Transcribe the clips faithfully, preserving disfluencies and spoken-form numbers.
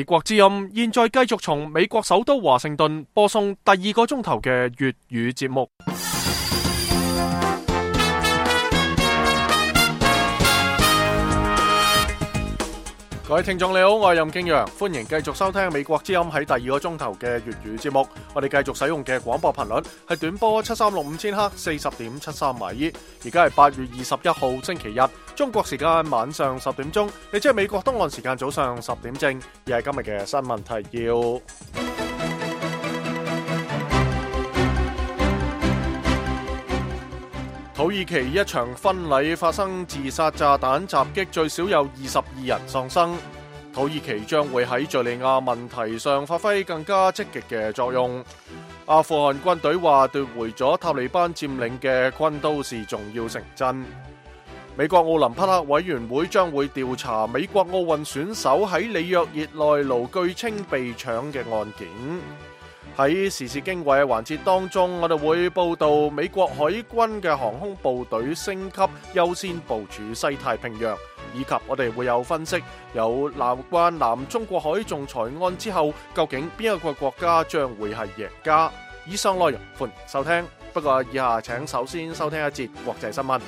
美國之音現在繼續從美國首都華盛頓播送第二個鐘頭嘅粵語節目。各位聽眾你好，我係任敬陽，歡迎繼續收聽美國之音喺第二個鐘頭嘅粵語節目。我哋繼續使用嘅廣播頻率係短波七三六五千赫四十點七三米。而家係八月二十一號星期日，中國時間晚上十點鐘，亦即係美國東岸時間早上十點正。而係今日嘅新聞提要。土耳其一場婚禮發生自殺炸彈襲擊，最少有二十二人喪生。土耳其將會喺敘利亞問題上發揮更加積極嘅作用。阿富汗軍隊話奪回咗塔利班佔領嘅昆都士重要城鎮。美國奧林匹克委員會將會調查美國奧運選手喺里約熱內盧據稱被搶嘅案件。喺時事經緯嘅環節當中，我哋會報道美國海軍嘅航空部隊升級，優先部署西太平洋，以及我哋會有分析，有南關南中國海仲裁案之後，究竟邊一個國家將會係贏家？以上內容歡迎收聽，不過以下請首先收聽一節國際新聞。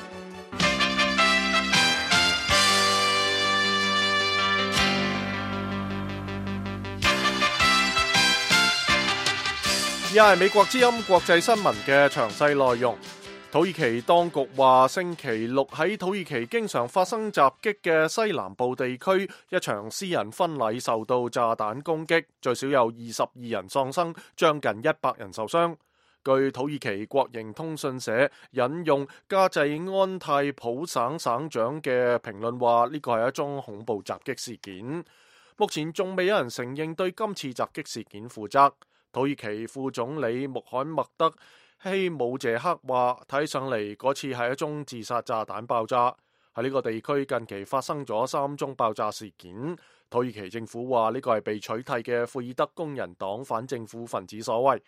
而係美國之音國際新聞嘅詳細內容。土耳其當局話，星期六喺土耳其經常發生襲擊嘅西南部地區，一場私人婚禮受到炸彈攻擊，最少有二十二人喪生，將近一百人受傷。據土耳其國營通訊社引用加濟安泰普省省長嘅評論話，呢個係一宗恐怖襲擊事件。目前仲未有人承認對今次襲擊事件負責。土耳其副總理穆罕默德希姆謝克話，睇上嚟嗰次係一宗自殺炸彈爆炸。喺呢個地區近期發生咗三宗爆炸事件。土耳其政府話呢個係被取締嘅庫爾德工人黨反政府分子所為。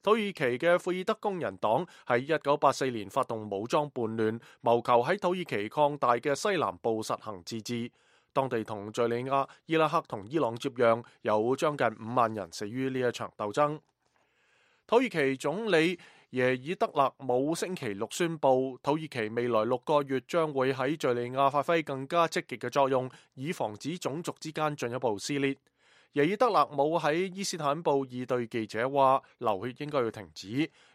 土耳其嘅庫爾德工人黨喺一九八四年發動武裝叛亂，謀求喺土耳其擴大嘅西南部實行自治。當地同敘利亞、伊拉克同伊朗接壤，有將近五萬人死於呢一場鬥爭。土耳其總理耶爾德勒姆星期六宣布，土耳其未來六個月將會喺敘利亞發揮更加積極嘅作用，以防止種族之間進一步撕裂。耶爾德勒姆喺伊斯坦布爾對記者話：流血應該要停止，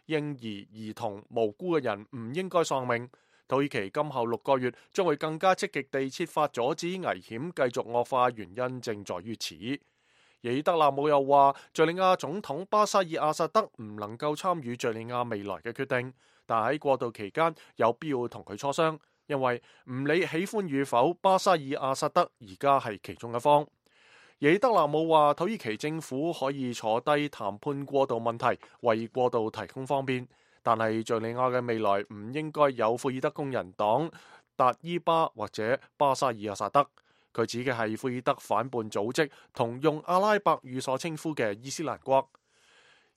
嬰兒、兒童、無辜嘅人唔應該喪命。土耳其今後六個月將會更加積極地設法阻止危險繼續惡化，原因正在於此。耶爾德勒姆又話，敘利亞總統巴沙爾阿薩德唔能夠參與敘利亞未來嘅決定，但喺過渡期間有必要同佢磋商，因為唔理喜歡與否，巴沙爾阿薩德而家係其中一方。耶爾德勒姆話，土耳其政府可以坐低談判過渡問題，為過渡提供方便。但係敘利亞嘅未來唔應該有庫爾德工人黨、達伊巴或者巴沙爾阿薩德。佢指嘅係庫爾德反叛組織同用阿拉伯語所稱呼嘅伊斯蘭國。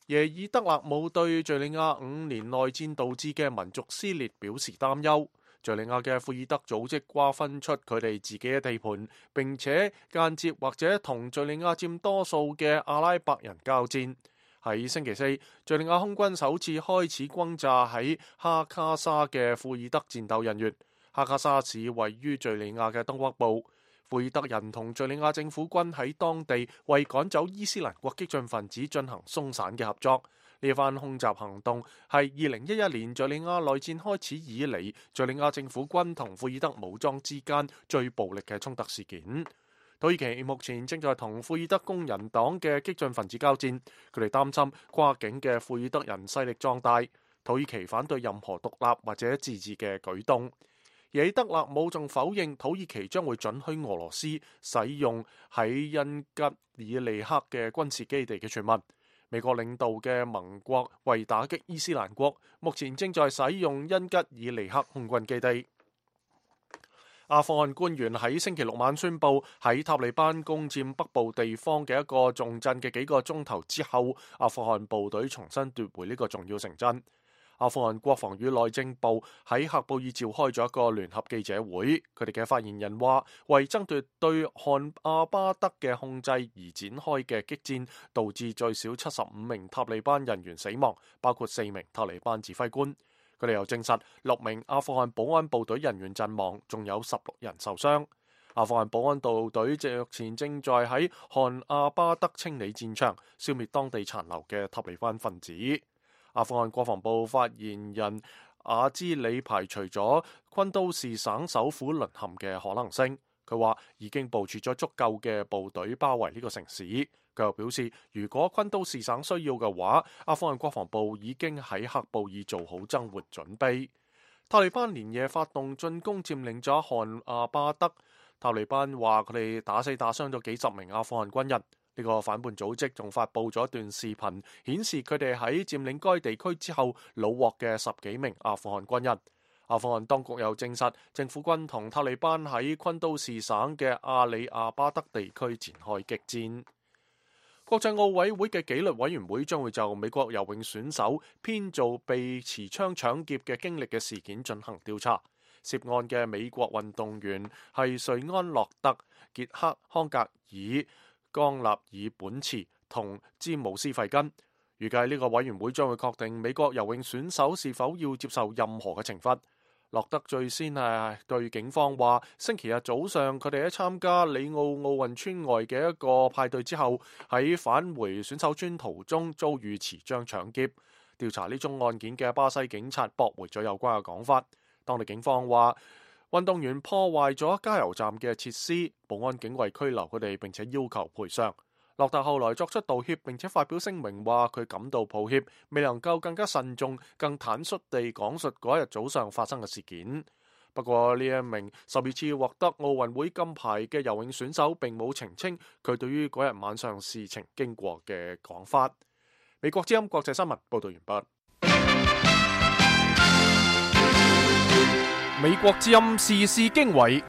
耶爾德勒姆對敘利亞五年內戰導致嘅民族撕裂表示擔憂。敘利亞嘅庫爾德組織瓜分出佢哋自己嘅地盤，並且間接或者同敘利亞佔多數嘅阿拉伯人交戰。喺星期四，敘利亞空軍首次開始轟炸喺哈卡沙嘅庫爾德戰鬥人員。哈卡沙市位於敘利亞嘅東北部。庫爾德人同敘利亞政府軍喺當地為趕走伊斯蘭國激進分子進行鬆散嘅合作。呢番空襲行動係二零一一年敘利亞內戰開始以嚟，敘利亞政府軍同庫爾德武裝之間最暴力嘅衝突事件。土耳其目前正在同庫爾德工人黨嘅激進分子交戰，佢哋擔心跨境嘅庫爾德人勢力壯大。土耳其反對任何獨立或者自治嘅舉動。耶爾德勒姆仲否認土耳其將會准許俄羅斯使用喺恩吉爾尼克嘅軍事基地嘅傳聞。美國領導嘅盟國為打擊伊斯蘭國，目前正在使用恩吉爾尼克空軍基地。阿富汗官員喺星期六晚宣布，喺塔利班攻佔北部地方嘅一個重鎮嘅幾個鐘頭之後，阿富汗部隊重新奪回呢個重要城鎮。阿富汗國防與內政部喺喀布爾召開咗一個聯合記者會，佢哋嘅發言人話，為爭奪對汗阿巴德嘅控制而展開嘅激戰，導致最少七十五名塔利班人員死亡，包括四名塔利班指揮官。佢哋又證實六名阿富汗保安部隊人員陣亡，仲有十六人受傷。阿富汗保安部隊目前正在喺汗阿巴德清理戰場，消滅當地殘留嘅塔利班分子。阿富汗國防部發言人阿茲里排除咗昆都士省首府淪陷嘅可能性，佢話已經部署咗足夠嘅部隊包圍呢個城市。佢又表示，如果昆都士省需要嘅話，阿富汗國防部已經喺喀布爾做好增援準備。塔利班連夜發動進攻，佔領咗汗阿巴德。塔利班話佢哋打死打傷咗幾十名阿富汗軍人。呢個反叛組織仲發布咗一段視頻，顯示佢哋喺佔領該地區之後虜獲嘅十幾名阿富汗軍人。阿富汗當局又證實，政府軍同塔利班喺昆都士省嘅阿里亞巴德地區展開激戰。國際奧委會嘅紀律委員會將會就美國游泳選手編造被持槍搶劫嘅經歷嘅事件進行調查。涉案嘅美國運動員係瑞安洛特、傑克康格爾、江納爾本茨同詹姆斯費根。預計呢個委員會將會確定美國游泳選手是否要接受任何嘅懲罰。洛德最先係對警方話，星期日早上佢哋喺參加里奧奧運村外嘅一個派對之後，喺返回選手村途中遭遇持槍搶劫。調查呢宗案件嘅巴西警察駁回咗有關嘅講法。當地警方話，運動員破壞咗加油站嘅設施，保安警衛拘留佢哋，並且要求賠償。洛特後來作出道歉，並且發表聲明話佢感到抱歉，未能夠更加慎重、更坦率地講述嗰一日早上發生嘅事件。不過呢一名十二次獲得奧運會金牌嘅游泳選手並冇澄清佢對於嗰日晚上事情經過嘅講法。美國之音國際新聞報道完畢。美國之音時事經緯，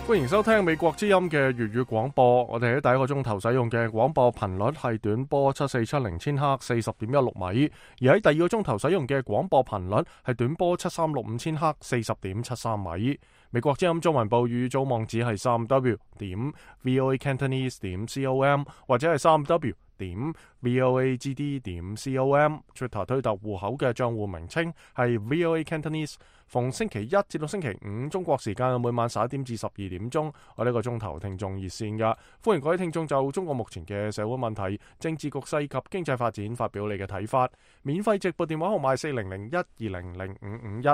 歡迎收聽美國之音嘅粵語廣播。我哋喺第一個鐘頭使用嘅廣播頻率係短波七四七零千赫四十點一六米，而喺第二個鐘頭使用嘅廣播頻率係短波七三六五千赫四十點七三米。美國之音中文部語組網址係三 w 點 voa cantonese 點 com 或者係三 w點 voa g d 點 com。 Twitter 推特戶口嘅賬戶名稱係 voa cantonese。 逢星期一至到星期五中國時間每晚十一點至十二點鐘，我呢個鐘頭聽眾熱線噶，歡迎各位聽眾就中國目前嘅社會問題、政治局勢及經濟發展發表你嘅睇法。免費直播電話號碼四零零一二零零五五一。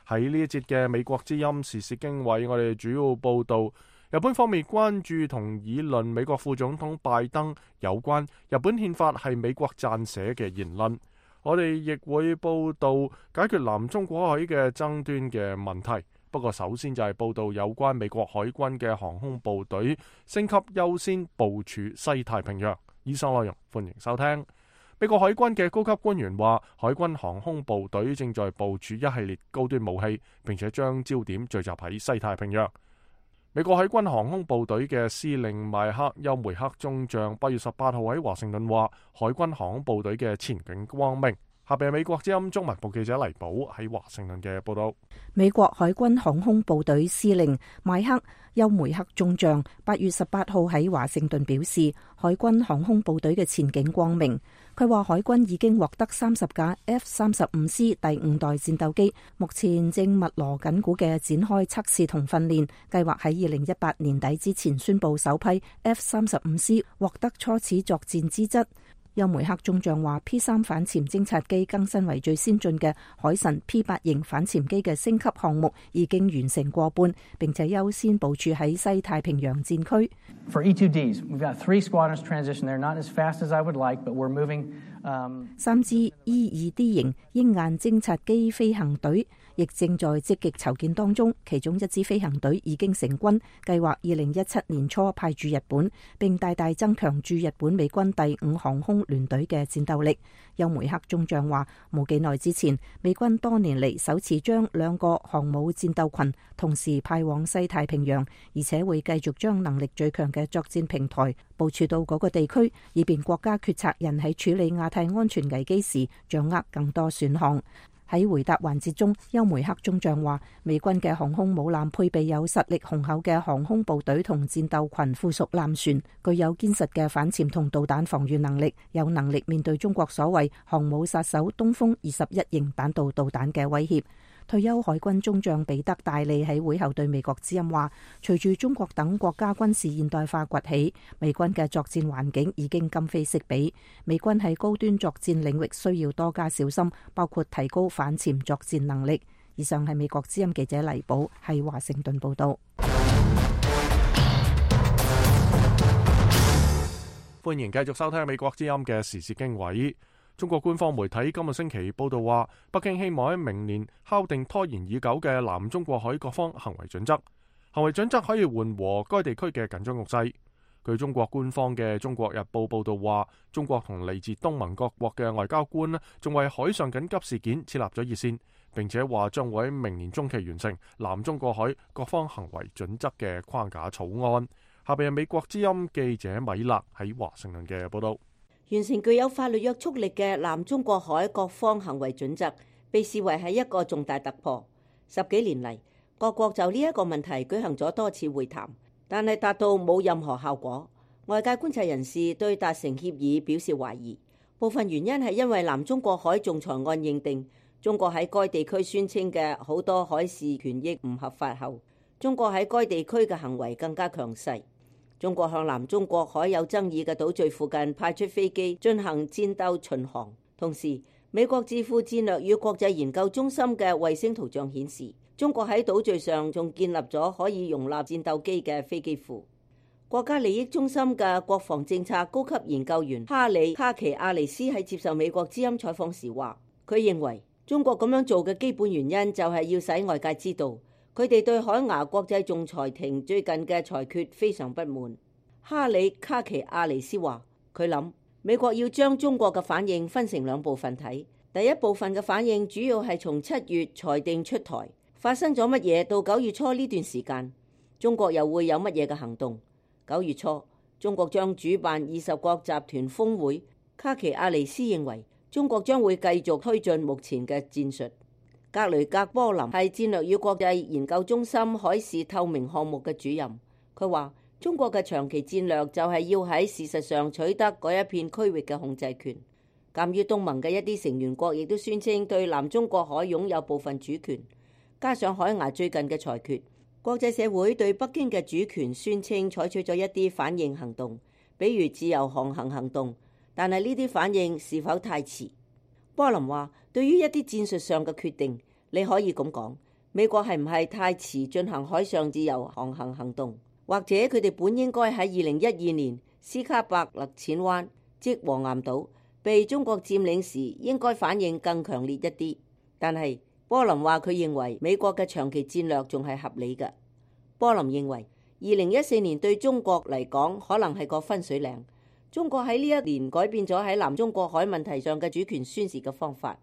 喺呢一節嘅美國之音時事經緯，我哋主要報道日本方面關注同議論美國副總統拜登有關日本憲法係美國撰寫嘅言論。我哋亦會報道解決南中國海嘅爭端嘅問題。不過首先就係報道有關美國海軍嘅航空部隊升級優先部署西太平洋。以上內容歡迎收聽。美國海軍嘅高級官員話，海軍航空部隊正在部署一系列高端武器，並且將焦點聚集喺西太平洋。美國海軍航空部隊嘅司令邁克休梅克中將八月十八號喺華盛頓話，海軍航空部隊嘅前景光明。下邊係美國之音中文部記者黎寶喺華盛頓嘅報道。美國海軍航空部隊司令邁克休梅克中將八月十八號喺華盛頓表示，海軍航空部隊嘅前景光明。佢話海軍已經獲得三十架 F 三十五 C 第五代戰鬥機，目前正密鑼緊鼓嘅展開測試同訓練，計劃喺二零一八年底之前宣布首批 F 三十五 C 獲得初始作戰資質。休梅克中將話 P 三反潛偵察機更新為最先進嘅海神 P 八型反潛機嘅升級項目已經完成過半，並且優先部署喺西太平洋戰區。For E two Ds, we've got three squadrons transition. They're not as fast as I would like, but we're moving. 三支 E 二 D 型鷹雁偵察機飛行隊亦正在積極籌建當中。其中一支飛行隊已經成軍，計劃二零一七年初派駐日本，並大大增強駐日本美軍第五航空聯隊嘅戰鬥力。邱梅克中將話，冇幾耐之前，美軍多年嚟首次將兩個航母戰鬥群同時派往西太平洋，而且會繼續將能力最強嘅作戰平台部署到嗰個地區，以便國家決策人喺處理亞太安全危機時掌握更多選項。喺回答環節中，邱梅克中將話，美軍嘅航空母艦配備有實力雄厚嘅航空部隊同戰鬥群附屬艦船，具有堅實嘅反潛同導彈防禦能力，有能力面對中國所謂航母殺手東風二十一型彈道導彈嘅威脅。退休海軍中將彼得戴利喺會後對美國之音話，隨住中國等國家軍事現代化崛起，美軍嘅作戰環境已經今非昔比。美軍喺高端作戰領域需要多加小心，包括提高反潛作戰能力。以上係美國之音記者黎寶喺華盛頓報道。歡迎繼續收聽美國之音嘅時事經緯。中國官方媒體今個星期報道話，北京希望喺明年敲定拖延已久嘅南中國海各方行為準則。行為準則可以緩和該地區嘅緊張局勢。據中國官方嘅《中國日報》報道話，中國同嚟自東盟各國嘅外交官仲為海上緊急事件設立咗熱線，並且話將會喺明年中期完成南中國海各方行為準則嘅框架草案。下邊係美國之音記者米勒喺華盛頓嘅報道。完成具有法律約束力嘅南中國海各方行為準則，被視為係一個重大突破。十幾年嚟，各國就呢一個問題舉行咗多次會談，但係達到冇任何效果。外界觀察人士對達成協議表示懷疑，部分原因係因為南中國海仲裁案認定中國喺該地區宣稱嘅好多海事權益唔合法後，中國喺該地區嘅行為更加強勢。中國向南中國海有爭議嘅島嶼附近派出飛機進行戰鬥巡航，同時美國智庫戰略與國際研究中心嘅衛星圖像顯示，中國喺島嶼上仲建立咗可以容納戰鬥機嘅飛機庫。國家利益中心嘅國防政策高級研究員哈里卡奇亞尼斯喺接受美國之音採訪時話，佢認為中國咁樣做嘅基本原因就係要使外界知道，佢哋對海牙國際仲裁庭最近嘅裁決非常不滿。哈里卡奇亞尼斯話，佢諗美國要將中國嘅反應分成兩部分睇。第一部分嘅反應主要係從七月裁定出台發生咗乜嘢到九月初呢段時間，中國又會有乜嘢嘅行動。九月初，中國將主辦二十國集團峰會。卡奇亞尼斯認為中國將會繼續推進目前嘅戰術。格雷格波林係戰略與國際研究中心海事透明項目嘅主任，佢話中國嘅長期戰略就係要喺事實上取得嗰一片區域嘅控制權。鑑於東盟嘅一啲成員國亦都宣稱對南中國海擁有部分主權，加上海牙最近嘅裁決，國際社會對北京嘅主權宣稱採取咗一啲反應行動，比如自由航行行動，但係呢啲反應是否太遲？波林話，對於一啲戰術上嘅決定，你可以咁講，美國係唔係太遲進行海上自由航行行動，或者佢哋本應該喺二零一二年斯卡伯勒淺灣即黃岩島被中國佔領時應該反應更強烈一啲。但係波林話，佢認為美國嘅長期戰略仲係合理嘅。波林認為二零一四年對中國嚟講可能係個分水嶺。中國喺呢一年改變咗喺南中國海問題上嘅主權宣示嘅方法。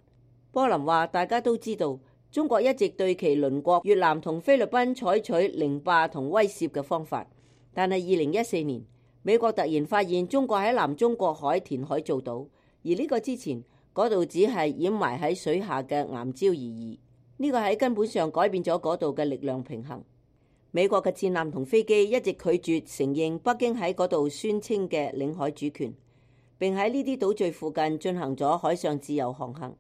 波林話，大家都知道中國一直對其鄰國越南同菲律賓採取凌霸同威懾嘅方法，但係二零一四年美國突然發現中國喺南中國海填海造島，而呢個之前嗰度只係掩埋喺水下嘅岩礁而已。呢個喺根本上改變咗嗰度嘅力量平衡。美國嘅戰艦同飛機一直拒絕承認北京喺嗰度宣稱嘅領海主權，並喺呢啲島嶼附近進行咗海上自由航行。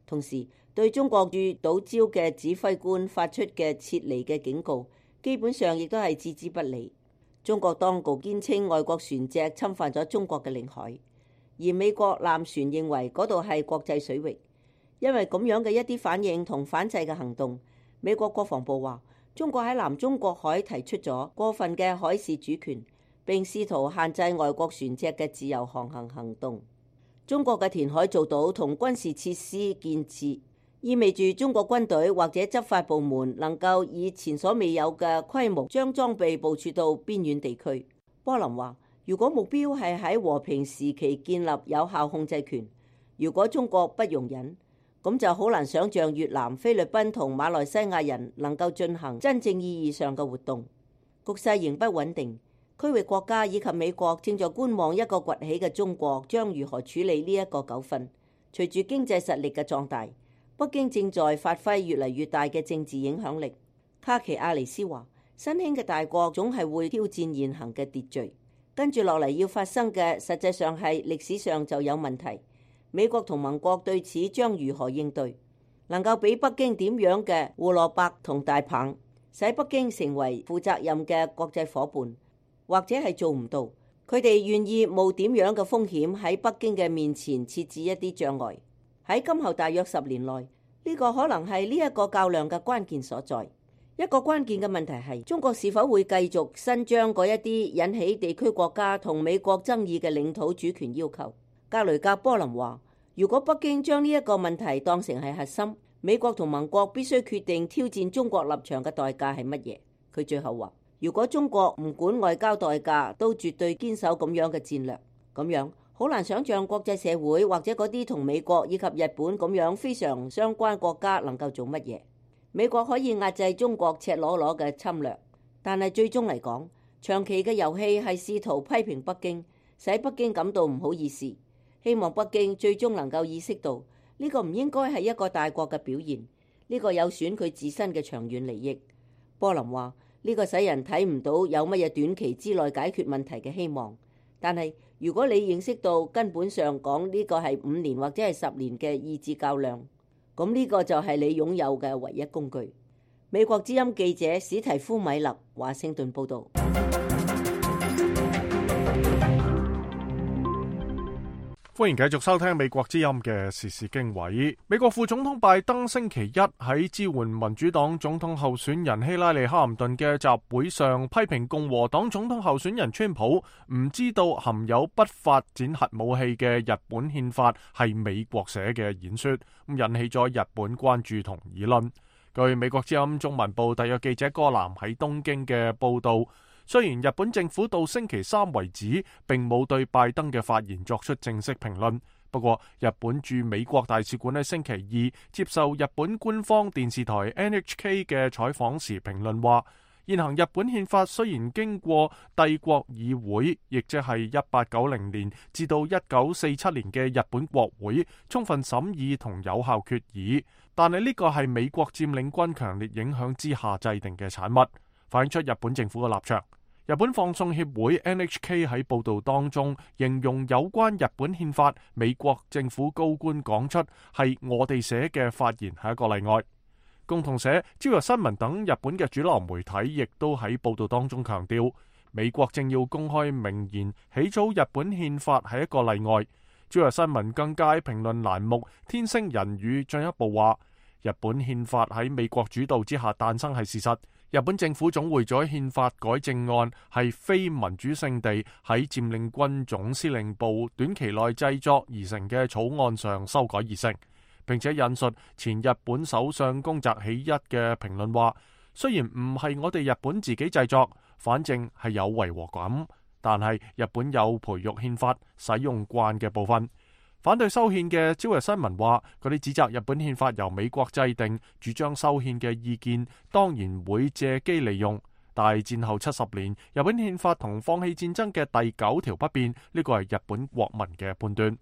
同時，對中國駐島礁嘅指揮官發出嘅撤離嘅警告，基本上亦都係置之不理。中國當局堅稱外國船隻侵犯咗中國嘅領海，而美國艦船認為嗰度係國際水域。因為咁樣嘅一啲反應同反制嘅行動，美國國防部話，中國喺南中國海提出咗過分嘅海事主權，並試圖限制外國船隻嘅自由航行行動。中國嘅填海造島同軍事設施建設意味住中國軍隊或者執法部門能夠以前所未有嘅規模將裝備部署到邊遠地區。波林話，如果目標係喺和平時期建立有效控制權，如果中國不容忍，咁就好難想像越南、菲律賓同馬來西亞人能夠進行真正意義上嘅活動。局勢仍不穩定，區域國家以及美國正在觀望一個崛起嘅中國將如何處理呢一個糾紛。隨住經濟實力嘅壯大，北京正在發揮越嚟越大嘅政治影響力。卡奇亞尼斯話，新興嘅大國總係會挑戰現行嘅秩序，跟住落嚟要發生嘅實際上係歷史上就有問題。美國同盟國對此將如何應對？能夠俾北京點樣嘅胡蘿蔔同大棒，使北京成為負責任嘅國際夥伴，或者係做唔到？佢哋願意冒點樣嘅風險喺北京嘅面前設置一啲障礙？喺今後大約十年內，呢個可能係呢一個較量嘅關鍵所在。一個關鍵嘅問題係，中國是否會繼續伸張嗰一啲引起地區國家同美國爭議嘅領土主權要求？格雷格波林話，如果北京將呢一個問題當成係核心，美國同盟國必須決定挑戰中國立場嘅代價係乜嘢。佢最後話，如果中國唔管外交代價都絕對堅守咁樣嘅戰略，咁樣好難想像國際社會或者嗰啲同美國以及日本咁樣非常相關國家能夠做乜嘢。美國可以壓制中國赤裸裸嘅侵略，但係最終嚟講，長期嘅遊戲係試圖批評北京，使北京感到唔好意思。希望北京最終能夠意識到呢個唔應該係一個大國嘅表現，呢個有損佢自身嘅長遠利益。波林話，呢個使人睇唔到有乜嘢短期之內解決問題嘅希望。但係如果你認識到根本上講呢個係五年或者係十年嘅意志較量，咁呢個就係你擁有嘅唯一工具。美國之音記者史提夫米勒，華盛頓報導。歡迎繼續收聽美國之音嘅時事經緯。美國副總統拜登星期一喺支援民主黨總統候選人希拉里哈林頓嘅集會上，批評共和黨總統候選人川普唔知道含有不發展核武器嘅日本憲法係美國寫嘅演說，引起咗日本關注同議論。據美國之音中文部特約記者戈南喺東京嘅報道，雖然日本政府到星期三為止並冇對拜登嘅發言作出正式評論，不過日本駐美國大使館喺星期二接受日本官方電視台 N H K 嘅採訪時評論話，現行日本憲法雖然經過帝國議會，亦即係一八九零年至到一九四七年嘅日本國會充分審議同有效決議，但係呢個係美國佔領軍強烈影響之下制定嘅產物，反映出日本政府嘅立場。日本放送協會 N H K 喺報道當中形容有關日本憲法，美國政府高官講出係我哋寫嘅發言係一個例外。共同社、朝日新聞等日本嘅主流媒體亦都喺報道當中強調，美國正要公開明言起草日本憲法係一個例外。朝日新聞更加喺評論欄目天星人語進一步話，日本憲法喺美國主導之下誕生係事實。日本政府總會咗憲法改正案係非民主聖地喺佔領軍總司令部短期內製作而成嘅草案上修改而成，並且引述前日本首相宮澤喜一嘅評論話，雖然唔係我哋日本自己製作，反正係有違和感，但係日本有培育憲法使用慣嘅部分。反對修憲嘅朝日新聞話，佢哋指責日本憲法由美國制定，主張修憲嘅意見當然會借機利用。但係戰後七十年，日本憲法同放棄戰爭嘅第九條不變，呢個係日本國民嘅判斷。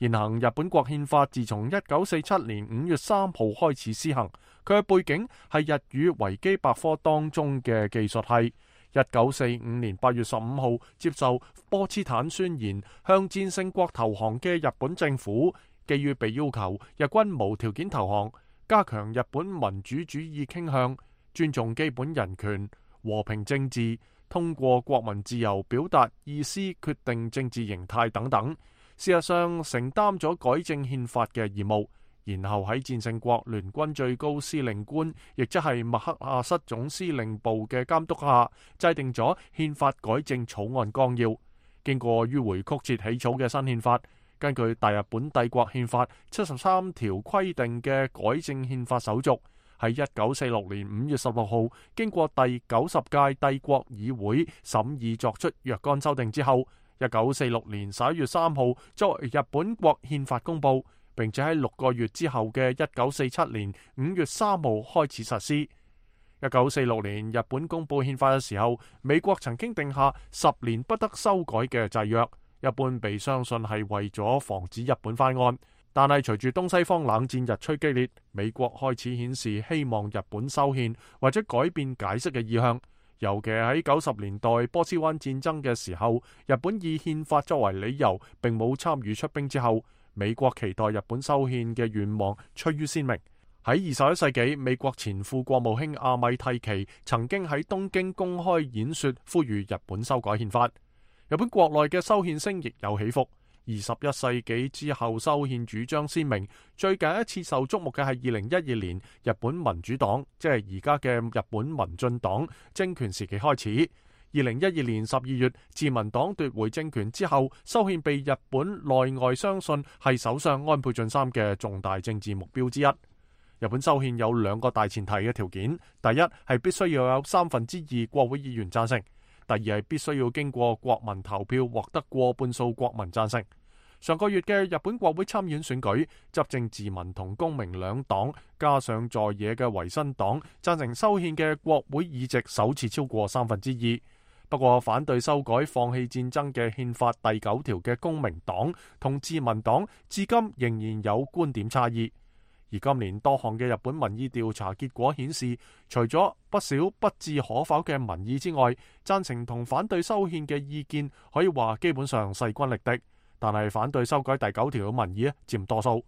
現行日本國憲法自從一九四七年五月三號開始施行，佢嘅背景係日語維基百科當中嘅技術係。一九四五年八月十五號接受波茨坦宣言，向戰勝國投降嘅日本政府，基於被要求日軍無條件投降，加強日本民主主義傾向，尊重基本人權、和平政治，通過國民自由表達意思、決定政治形態等等，事實上承擔咗改正憲法嘅義務。然後喺戰勝國聯軍最高司令官，亦即係麥克阿瑟總司令部嘅監督下，制定咗憲法改正草案綱要。經過迂迴曲折起草嘅新憲法，根據大日本帝國憲法七十三條規定嘅改正憲法手續，喺一九四六年五月十六號經過第九十屆帝國議會審議作出若干修訂之後，一九四六年十一月三號作為日本國憲法公佈，並且喺六個月之後嘅一九四七年五月三號開始實施。一九四六年日本公佈憲法嘅時候，美國曾經定下十年不得修改嘅制約，一般被相信係為咗防止日本翻案。但係隨住東西方冷戰日趨激烈，美國開始顯示希望日本修憲或者改變解釋嘅意向。尤其喺九十年代波斯灣戰爭嘅時候，日本以憲法作為理由，並冇參與出兵之後，美國期待日本修憲嘅願望趨於鮮明。喺二十一世紀，美國前副國務卿阿米蒂奇曾經喺東京公開演說，呼籲日本修改憲法。日本國內嘅修憲聲亦有起伏。二十一世紀之後，修憲主張鮮明。最近一次受矚目嘅係二零一二年日本民主黨，即係而家嘅日本民進黨政權時期開始。二零一二年十二月，自民黨奪回政權之後，修憲被日本內外相信係首相安倍晉三嘅重大政治目標之一。日本修憲有兩個大前提嘅條件：第一係必須要有三分之二國會議員贊成；第二係必須要經過國民投票獲得過半數國民贊成。上個月嘅日本國會參院選舉，執政自民同公明兩黨加上在野嘅維新黨贊成修憲嘅國會議席首次超過三分之二。不過反對修改放棄戰爭嘅憲法第九條嘅公明黨同自民黨至今仍然有觀點差異。而今年多項嘅日本民意調查結果顯示，除咗不少不置可否嘅民意之外，贊成同反對修憲嘅意見可以話基本上勢均力敵。但係反對修改第九條嘅民意佔多數。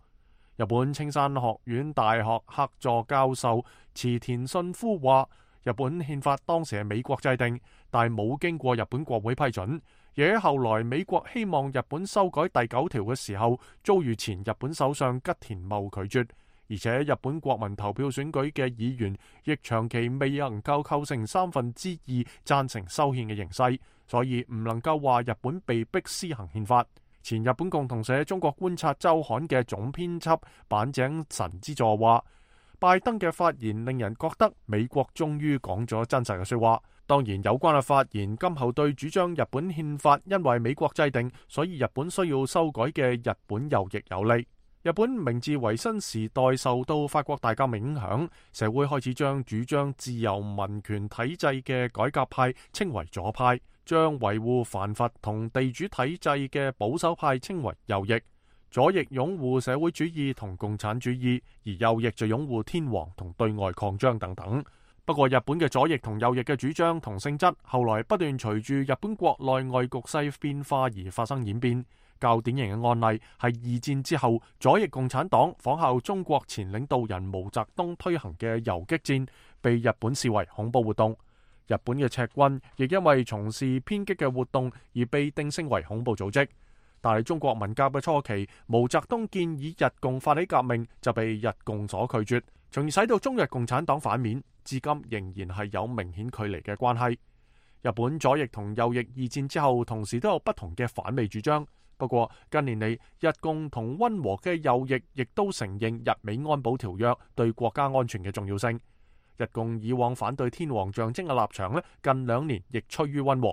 日本青山學院大學客座教授池田信夫話，日本憲法當時係美國制定，但係冇經過日本國會批准。而喺後來美國希望日本修改第九條嘅時候，遭遇前日本首相吉田茂拒絕。而且日本國民投票選舉嘅議員亦長期未能夠構成三分之二贊成修憲嘅形勢，所以唔能夠話日本被逼施行憲法。前日本共同社中國觀察週刊嘅總編輯板井神之助話，拜登嘅發言令人覺得美國終於講咗真實嘅說話。當然，有關嘅發言今後對主張日本憲法因為美國制定，所以日本需要修改嘅日本右翼有利。日本明治維新時代受到法國大革命影響，社會開始將主張自由民權體制嘅改革派稱為左派，將維護藩閥同地主體制嘅保守派稱為右翼。左翼擁護社會主義同共產主義，而右翼就擁護天皇同對外擴張等等。不過日本嘅左翼同右翼嘅主張同性質，後來不斷隨住日本國內外局勢變化而發生演變。較典型嘅案例係二戰之後，左翼共產黨仿效中國前領導人毛澤東推行嘅游擊戰，被日本視為恐怖活動。日本嘅赤軍亦因為從事偏激嘅活動而被定性為恐怖組織。但係中國文革嘅初期，毛澤東建議日共發起革命，就被日共所拒絕，從而使到中日共產黨反面，至今仍然係有明顯距離嘅關係。日本左翼同右翼二戰之後，同時都有不同嘅反美主張。不過近年嚟，日共同溫和嘅右翼亦都承認日美安保條約對國家安全嘅重要性。日共以往反對天皇象徵嘅立場咧，近兩年亦趨於溫和。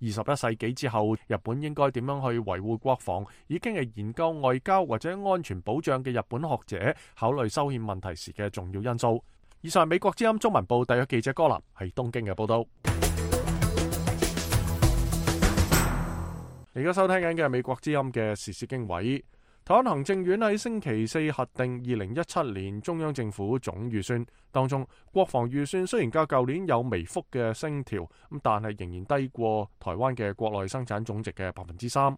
二十一世紀之後，日本應該點樣去維護國防，已經係研究外交或者安全保障嘅日本學者考慮修憲問題時嘅重要因素。以上係美國之音中文部特約記者柯南喺東京嘅報道。而家收聽緊嘅係美國之音嘅時事經緯。台灣行政院喺星期四核定二零一七年中央政府總預算，當中國防預算雖然較舊年有微幅嘅升調，咁但係仍然低過台灣嘅國內生產總值嘅百分之三。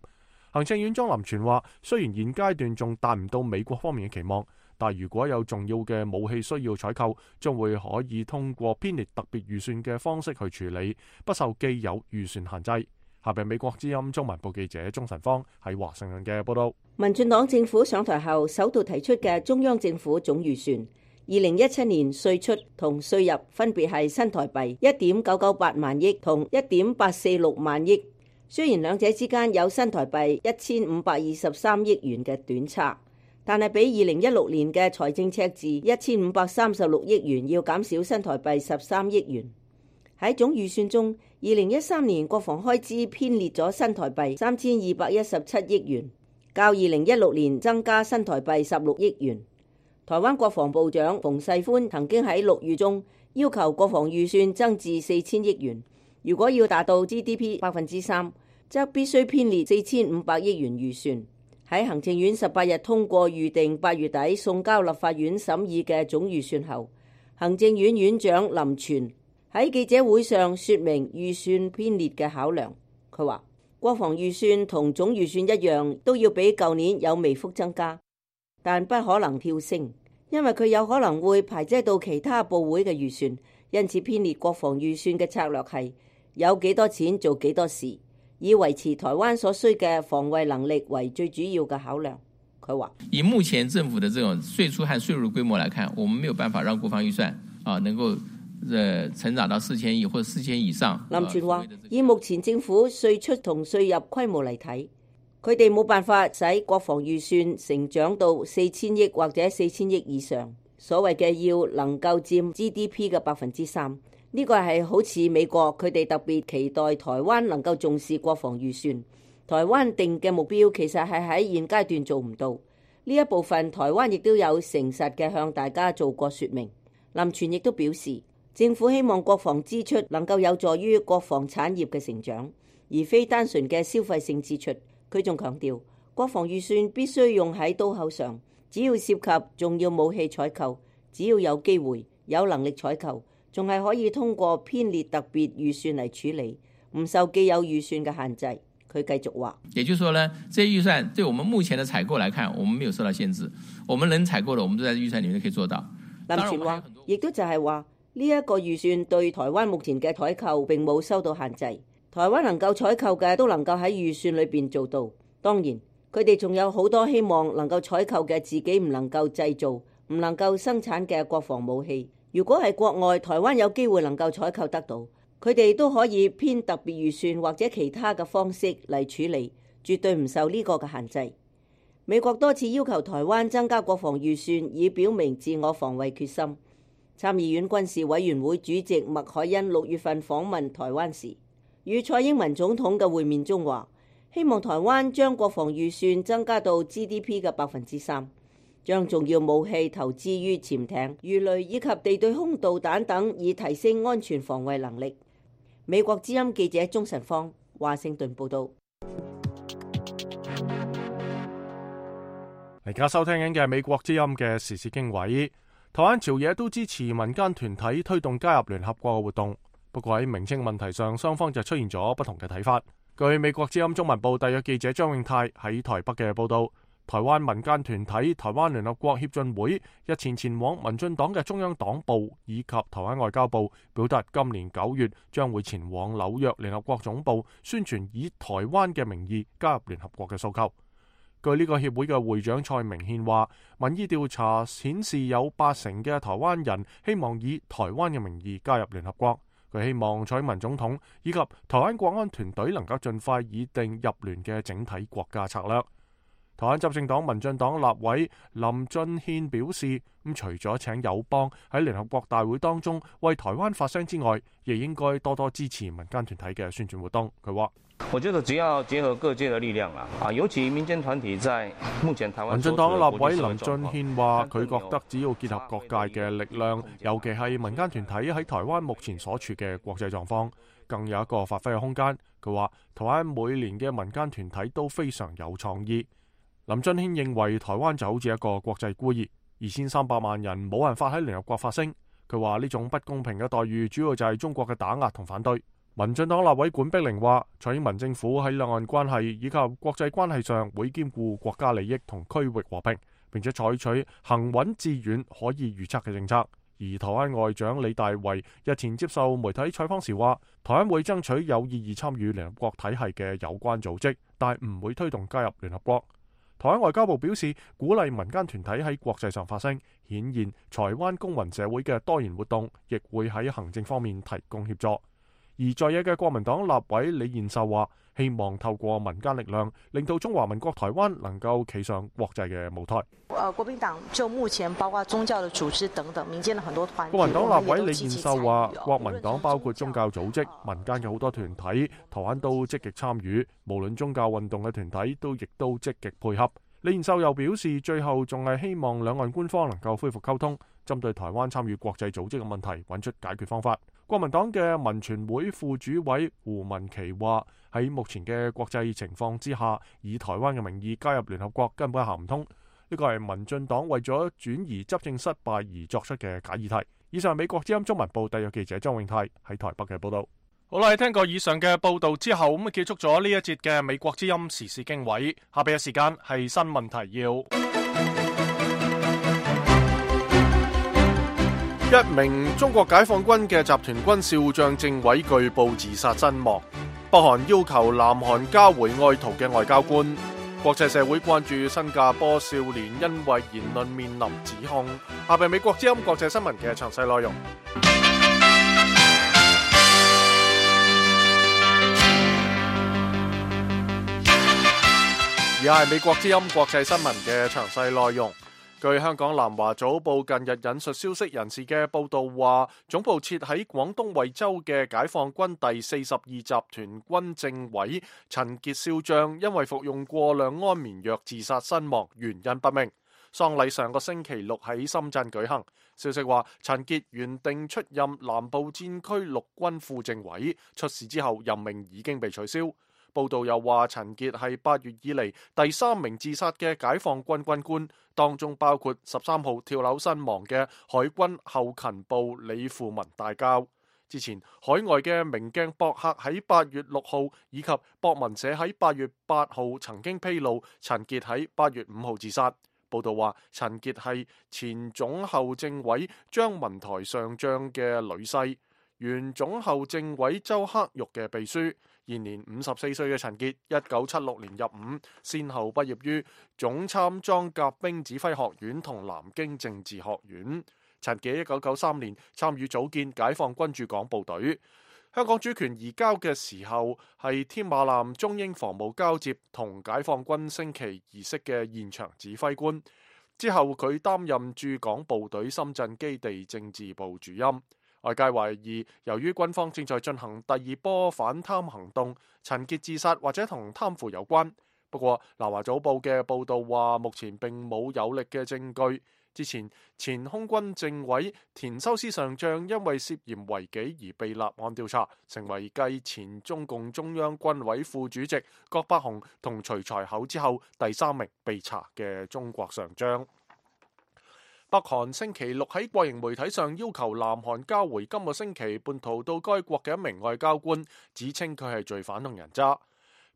行政院莊林全話，雖然現階段仲達唔到美國方面嘅期望，但如果有重要嘅武器需要採購，將會可以通過編列特別預算嘅方式去處理，不受既有預算限制。下邊美國之音中文部記者鍾晨芳喺華盛頓嘅報道。民進黨政府上台後首度提出嘅中央政府總預算，二零一七年稅出同稅入分別係新台幣一點九九八萬億同一點八四六萬億，雖然兩者之間有新台幣一千五百二十三億元嘅短差，但係比二零一六年嘅財政赤字一千五百三十六億元要減少新台幣十三億元。喺總預算中，二零一三年國防開支編列咗新台幣三千二百一十七億元，較二零一六年增加新台幣十六億元。台灣國防部長馮世寬曾經喺六月中要求國防預算增至四千億元。如果要達到 G D P 百分之三，則必須編列四千五百億元預算。喺行政院十八日通過預定八月底送交立法院審議嘅總預算後，行政院院長林全喺記者會上說明預算編列嘅考量。佢話國防預算同總預算一樣，都要比舊年有微幅增加，但不可能跳升，因為佢有可能會排擠到其他部會嘅預算。因此編列國防預算嘅策略係有幾多錢做幾多事，以維持台灣所需嘅防衛能力為最主要嘅考量。佢話以目前政府的這種稅出和稅入規模來看，我們沒有辦法讓國防預算啊能夠呃成長到四千億或者四千以上。林全話以目前政府稅出同稅入規模嚟睇，佢哋冇辦法使國防預算成長到四千億或者四千億以上。所謂嘅要能夠佔 G D P 嘅百分之三，呢個係好似美國佢哋特別期待台灣能夠重視國防預算。台灣定嘅目標其實係喺現階段做唔到，呢一部分台灣亦都有誠實嘅向大家做過說明。林全亦都表示，政府希望國防支出能夠有助於國防產業嘅成長，而非單純嘅消費性支出。佢仲強調，國防預算必須用喺刀口上。只要涉及重要武器採購，只要有機會有能力採購，仲係可以通過編列特別預算嚟處理，唔受既有預算嘅限制。佢繼續話，也就是說呢，這些預算對我們目前的採購來看，我們沒有受到限制，我們能採購的，我們都在預算裡面可以做到。林全話，亦都就係話呢一個預算對台灣目前嘅採購並冇受到限制，台灣能夠採購嘅都能夠喺預算裏邊做到。當然，佢哋仲有好多希望能夠採購嘅自己唔能夠製造、唔能夠生產嘅國防武器。如果係國外台灣有機會能夠採購得到，佢哋都可以編特別預算或者其他嘅方式嚟處理，絕對唔受呢個嘅限制。美國多次要求台灣增加國防預算，以表明自我防衛決心。參議院軍事委員會主席麥凱恩六月份訪問台灣時，與蔡英文總統嘅會面中話，希望台灣將國防預算增加到 G D P 嘅百分之三，將重要武器投資於潛艇、魚雷以及地對空導彈等，以提升安全防衛能力。美國之音記者鍾晨芳華盛頓報道。而家收聽緊嘅係美國之音嘅時事經緯。台灣朝野都支持民間團體推動加入聯合國嘅活動，不過喺名稱問題上，雙方就出現咗不同嘅睇法。據美國之音中文部特約記者張永泰喺台北嘅報道，台灣民間團體台灣聯合國協進會日前前往民進黨嘅中央黨部以及台灣外交部，表達今年九月將會前往紐約聯合國總部宣傳以台灣嘅名義加入聯合國嘅訴求。據呢個協會嘅會長蔡明憲話，民意調查顯示有八成嘅台灣人希望以台灣嘅名義加入聯合國。佢希望蔡英文總統以及台灣國安團隊能夠盡快擬定入聯嘅整體國家策略。台灣執政黨民進黨立委林俊憲表示，咁除咗請友邦喺聯合國大會當中為台灣發聲之外，亦應該多多支持民間團體嘅宣傳活動。佢話：我覺得只要結合各界的力量啦，啊，尤其民間團體在目前台灣。民進黨立委林俊憲話：佢覺得只要結合各界嘅力量，尤其係民間團體喺台灣目前所處嘅國際狀況，更有一個發揮嘅空間。佢話：台灣每年嘅民間團體都非常有創意。林俊憲認為台灣就好似一個國際孤兒，二千三百萬人冇辦法喺聯合國發聲。佢話呢種不公平嘅待遇主要就係中國嘅打壓同反對。民進黨立委管碧玲話，蔡英文政府喺兩岸關係以及國際關係上會兼顧國家利益同區域和平，並且採取行穩致遠可以預測嘅政策。而台灣外長李大維日前接受媒體採訪時話，台灣會爭取有意義參與聯合國體系嘅有關組織，但係唔會推動加入聯合國。台灣外交部表示，鼓勵民間團體喺國際上發聲，顯現台灣公民社會嘅多元活動，亦會喺行政方面提供協助。而在野嘅國民黨立委李彥秀話，希望透過民間力量，令到中華民國台灣能夠企上國際嘅舞台。呃，國民黨就目前包括宗教的組織等等，民間的很多團體。國民黨立委李彥秀話，國民黨包括宗教組織、民間嘅好多團體，台灣都積極參與，無論宗教運動嘅團體都亦都積極配合。李彥秀又表示，最後仲係希望兩岸官方能夠恢復溝通，針對台灣參與國際組織嘅問題揾出解決方法。國民黨嘅民權會副主委胡文琪話，喺目前嘅國際情況之下，以台灣嘅名義加入聯合國根本行唔通。呢個係民進黨為咗轉移執政失敗而作出嘅假議題。以上係美國之音中文部特約記者張永泰喺台北嘅報道。好啦，聽過以上嘅報道之後，咁結束咗呢一節嘅美國之音時事經緯。下邊嘅時間係新聞提要。一名中國解放軍嘅集團軍少將政委據報自殺身亡。北韓要求南韓交回愛逃嘅外交官。國際社會關注新加坡少年因為言論面臨指控。下邊美國之音國際新聞嘅詳細內容。而家係美國之音國際新聞嘅詳細內容。據香港南華早報近日引述消息人士嘅報道話，總部設喺廣東惠州嘅解放軍第四十二集團軍政委陳傑少將因為服用過量安眠藥自殺身亡，原因不明。喪禮上個星期六喺深圳舉行。消息話，陳傑原定出任南部戰區陸軍副政委，出事之後任命已經被取消。報道又話，陳傑係八月以嚟第三名自殺嘅解放軍軍官，當中包括十三號跳樓身亡嘅海軍後勤部李富文大校。之前海外嘅明鏡博客喺八月六號以及博文社喺八月八號曾經披露陳傑喺八月五號自殺。報道話，陳傑係前總後政委張文台上將嘅女婿，原總後政委周克玉嘅秘書。現年五十四歲嘅陳傑，一九七六年入伍，先後畢業於總參裝甲兵指揮學院同南京政治學院。陳傑一九九三年參與組建解放軍駐港部隊。香港主權移交嘅時候，係添馬艦中英防務交接同解放軍升旗儀式嘅現場指揮官。之後佢擔任駐港部隊深圳基地政治部主任。外界懷疑，由於軍方正在進行第二波反貪行動，陳傑自殺或者同貪腐有關。不過，南華早報嘅報導話，目前並冇有力嘅證據。之前，前空軍政委田修斯上將因為涉嫌違紀而被立案調查，成為繼前中共中央軍委副主席郭伯雄同徐才厚之後第三名被查嘅中國上將。北韓星期六喺國營媒體上要求南韓交回今個星期叛逃到該國嘅一名外交官，指稱佢係罪犯同人渣。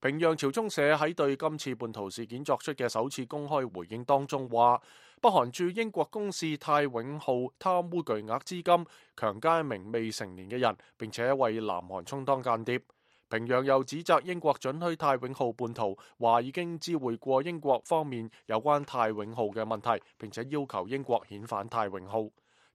平壤朝中社喺對今次叛逃事件作出嘅首次公開回應當中話，北韓駐英國公使泰永浩貪污巨額資金，強姦一名未成年嘅人，並且為南韓充當間諜。平壤又指責英國准許泰永浩叛逃，話已經知會過英國方面有關泰永浩嘅問題，並且要求英國遣返泰永浩。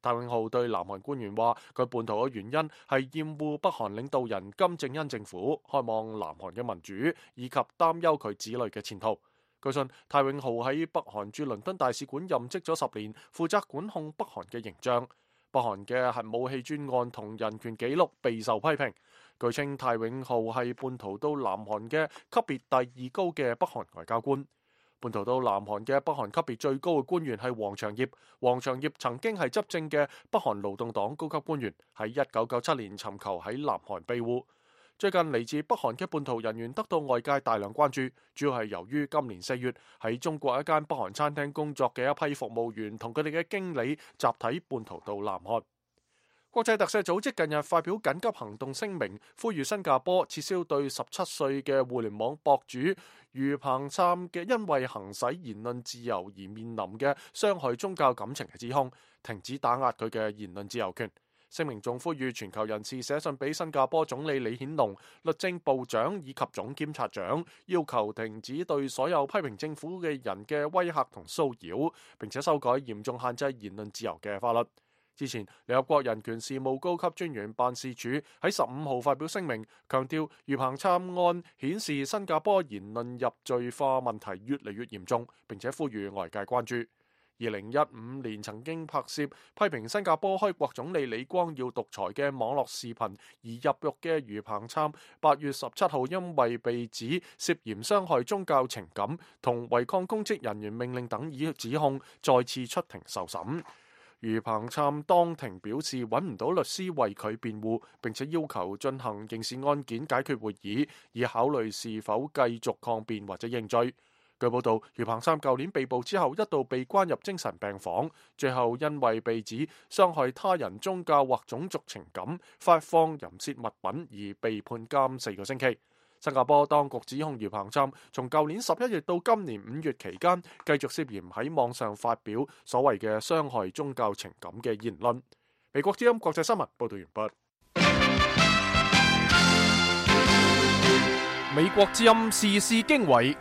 泰永浩對南韓官員話，佢叛逃嘅原因係厭惡北韓領導人金正恩政府，渴望南韓嘅民主，以及擔憂佢子女嘅前途。據信，泰永浩喺北韓駐倫敦大使館任職咗十年，負責管控北韓嘅形象。北韓嘅核武器專案同人權紀錄備受批評。據稱，泰永浩係叛逃到南韓嘅級別第二高嘅北韓外交官。叛逃到南韓嘅北韓級別最高嘅官員係黃長業。黃長業曾經係執政嘅北韓勞動黨高級官員，喺一九九七年尋求喺南韓庇護。最近嚟自北韓嘅叛逃人員得到外界大量關注，主要係由於今年四月喺中國一間北韓餐廳工作嘅一批服務員同佢哋嘅經理集體叛逃到南韓。國際特赦組織近日發表緊急行動聲明，呼籲新加坡撤銷對十七歲嘅互聯網博主余彭琛嘅因為行使言論自由而面臨嘅傷害宗教感情嘅指控，停止打壓佢嘅言論自由權。聲明仲呼籲全球人士寫信俾新加坡總理李顯龍、律政部長以及總檢察長，要求停止對所有批評政府嘅人嘅威嚇同騷擾，並且修改嚴重限制言論自由嘅法律。之前，聯合國人權事務高級專員辦事處喺十五號發表聲明，強調余彭參案顯示新加坡言論入罪化問題越嚟越嚴重，並且呼籲外界關注。二零一五年曾經拍攝批評新加坡開國總理李光耀獨裁嘅網絡視頻而入獄嘅余彭參，八月十七號因為被指涉嫌傷害宗教情感同違抗公職人員命令等以指控，再次出庭受審。余彭參當庭表示揾唔到律師為佢辯護，並且要求進行刑事案件解決會議，以考慮是否繼續抗辯或者認罪。據報道，余彭參舊年被捕之後一度被關入精神病房，最後因為被指傷害他人宗教或種族情感、發放淫褻物品而被判監四個星期。新加坡當局指控余彭參從舊年十一月到今年五月期間，繼續涉嫌喺網上發表所謂嘅傷害宗教情感嘅言論。美國之音國際新聞報道完畢。美國之音時事經緯。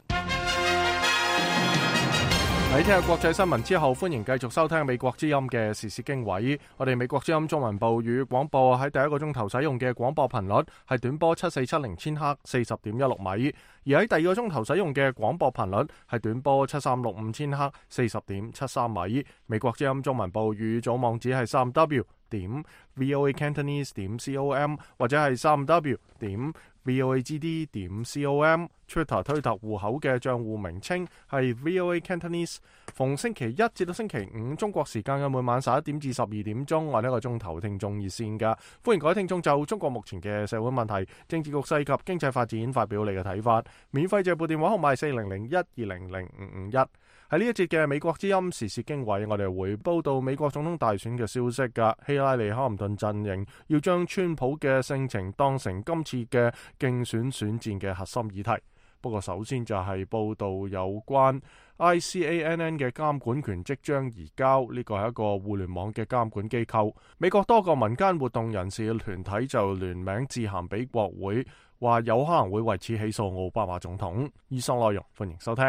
喺聽日國際新聞之後，歡迎繼續收聽美國之音嘅時事經緯。我哋美國之音中文部與廣播喺第一個鐘頭使用嘅廣播頻率係短波七四七零千赫四十點一六米，而喺第二個鐘頭使用嘅廣播頻率係短波七三六五千赫四十點七三米。美國之音中文部與組網址係三 W 點 VOA Cantonese 點 com 或者係三 W 點 voagd 點 com。Twitter 推特戶口嘅賬戶名稱係 V O A Cantonese。逢星期一至到星期五中國時間嘅每晚十一點至十二點鐘，我呢一個鐘頭聽眾熱線噶，歡迎各位聽眾就中國目前嘅社會問題、政治局勢及經濟發展發表你嘅睇法。免費借撥電話號碼係四零零一二零零五五一。喺呢一節嘅美國之音時事經緯，我哋會報道美國總統大選嘅消息噶。希拉里克林頓陣營要將川普嘅性情當成今次嘅競選選戰嘅核心議題。不過首先就係報道有關 I C A N N 嘅監管權即將移交，呢個係一個互聯網嘅監管機構。美國多個民間活動人士嘅團體就聯名致函俾國會，話有可能會為此起訴奧巴馬總統。以上內容歡迎收聽。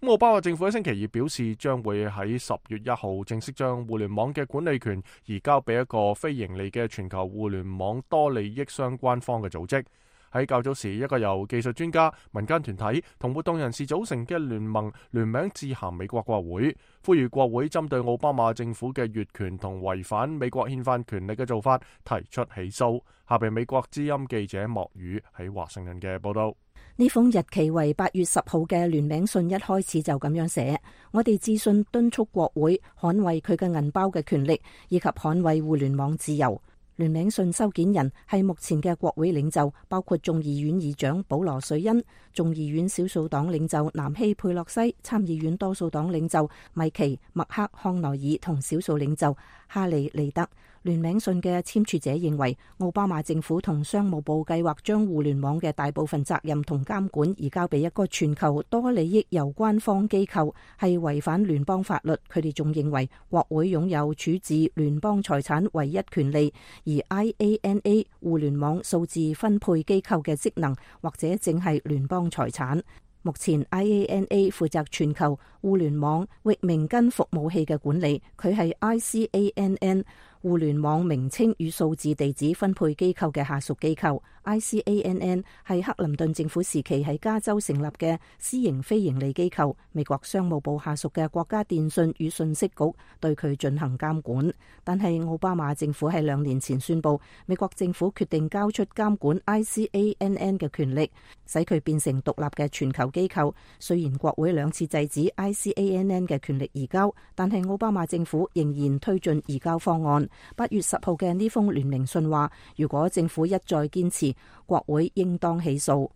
奧巴馬政府喺星期二表示，將會喺十月一號正式將互聯網嘅管理權移交俾一個非盈利嘅全球互聯網多利益相關方嘅組織。喺較早時，一個由技術專家、民間團體同活動人士組成嘅聯盟聯名致函美國國會，呼籲國會針對奧巴馬政府嘅越權同違反美國憲法權力嘅做法提出起訴。下邊美國之音記者莫宇喺華盛頓嘅報道。呢封日期為八月十號嘅聯名信一開始就咁樣寫：我哋致信敦促國會捍衛佢嘅銀包嘅權力，以及捍衛互聯網自由。聯名信收件人係目前嘅國會領袖，包括眾議院議長保羅瑞恩、眾議院少數黨領袖南希佩洛西、參議院多數黨領袖米奇麥克康奈爾同少數領袖哈利利德。聯名信嘅簽署者認為，奧巴馬政府同商務部計劃將互聯網嘅大部分責任同監管移交俾一個全球多利益攸關方機構，係違反聯邦法律。佢哋仲認為國會擁有處置聯邦財產唯一權利，而 I A N A 互聯網數字分配機構嘅職能或者正係聯邦財產。目前 I A N A 負責全球互聯網域名根服務器嘅管理，佢係 I C A N N 互聯網名稱與數字地址分配機構嘅下屬機構。I C A N N 係克林頓政府時期喺加州成立嘅私營非營利機構，美國商務部下屬嘅國家電訊與信息局對佢進行監管。但係奧巴馬政府喺兩年前宣布，美國政府決定交出監管 I C A N N 嘅權力，使佢變成獨立嘅全球機構。雖然國會兩次制止 I C A N N 嘅權力移交，但係奧巴馬政府仍然推進移交方案。八月十號嘅呢封聯名信話，如果政府一再堅持，國會應當起訴。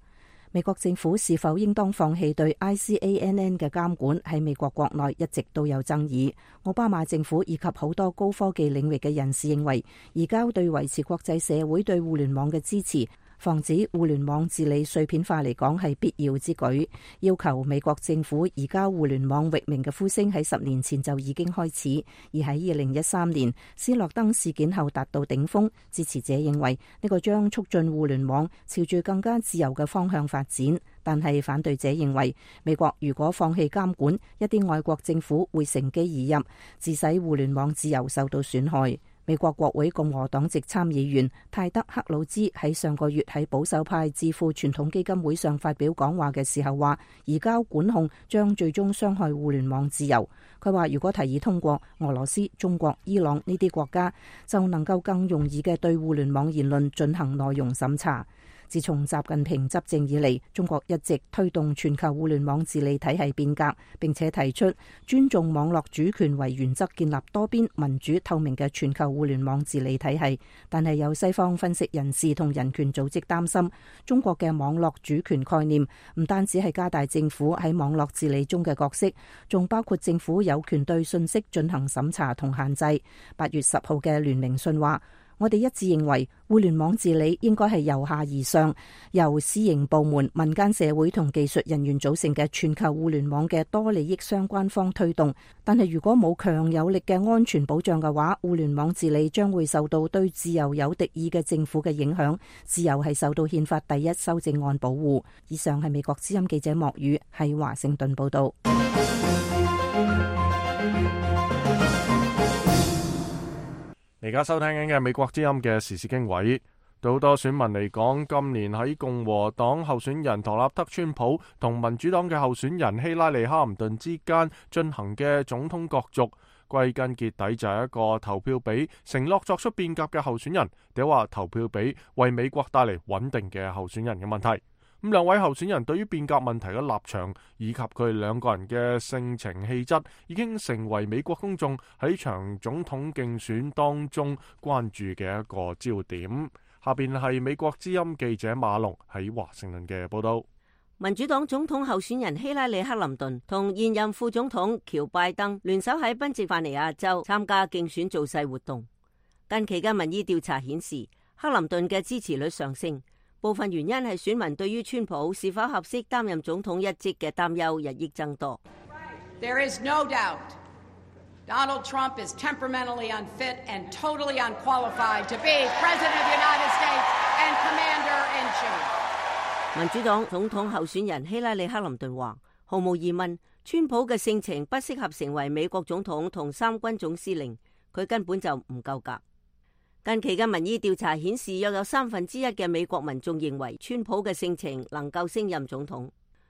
美國政府是否應當放棄對 I C A N N 嘅監管，喺美國國內一直都有爭議。奧巴馬政府以及好多高科技領域嘅人士認為，移交對維持國際社會對互聯網嘅支持，防止互聯網治理碎片化嚟講係必要之舉。要求美國政府移交互聯網域名嘅呼聲喺十年前就已經開始，而喺二零一三年斯諾登事件後達到頂峰。支持者認為呢個將促進互聯網朝住更加自由嘅方向發展，但係反對者認為，美國如果放棄監管，一啲外國政府會乘機而入，致使互聯網自由受到損害。美國國會共和黨籍參議員泰德克魯茲喺上個月喺保守派智庫傳統基金會上發表講話嘅時候話，移交管控將最終傷害互聯網自由。佢話如果提議通過，俄羅斯、中國、伊朗呢啲國家就能夠更容易嘅對互聯網言論進行內容審查。自從習近平執政以嚟，中國一直推動全球互聯網治理體系變革，並且提出尊重網絡主權為原則，建立多邊民主透明嘅全球互聯網治理體系。但係有西方分析人士同人權組織擔心，中國嘅網絡主權概念唔單止係加大政府喺網絡治理中嘅角色，仲包括政府有權對信息進行審查同限制。八月十號嘅聯名信話，我哋一致認為互聯網治理應該係由下而上，由私營部門、民間社會同技術人員組成嘅全球互聯網嘅多利益相關方推動。但係如果冇強有力嘅安全保障嘅話，互聯網治理將會受到對自由有敵意嘅政府嘅影響。自由係受到憲法第一修正案保護。以上係美國之音記者莫宇喺華盛頓報道。而家收聽緊嘅美國之音嘅時事經緯，對好多選民嚟講，今年喺共和黨候選人唐納德川普同民主黨嘅候選人希拉里克林頓之間進行嘅總統角逐，歸根結底就係一個投票俾承諾作出變革嘅候選人，定話投票俾為美國帶嚟穩定嘅候選人嘅問題。咁兩位候選人對於變革問題嘅立場以及佢哋兩個人嘅性情氣質，已經成為美國公眾喺場總統競選當中關注嘅一個焦點。下邊係美國之音記者馬龍喺華盛頓嘅報道。民主黨總統候選人希拉里克林頓同現任副總統喬拜登聯手喺賓夕法尼亞州參加競選造勢活動。近期嘅民意調查顯示，克林頓嘅支持率上升。部分原因係選民對於川普是否合適擔任總統一職嘅擔憂日益增多。There is no doubt Donald Trump is temperamentally unfit and totally unqualified to be President of the United States and Commander-in-Chief。民主黨總統候選人希拉里克林頓話，毫無疑問，川普嘅性情不適合成為美國總統同三軍總司令，佢根本就唔夠格。近期嘅民意調查顯示，約有三分之一嘅美國民眾認為川普嘅性情能夠升任總統，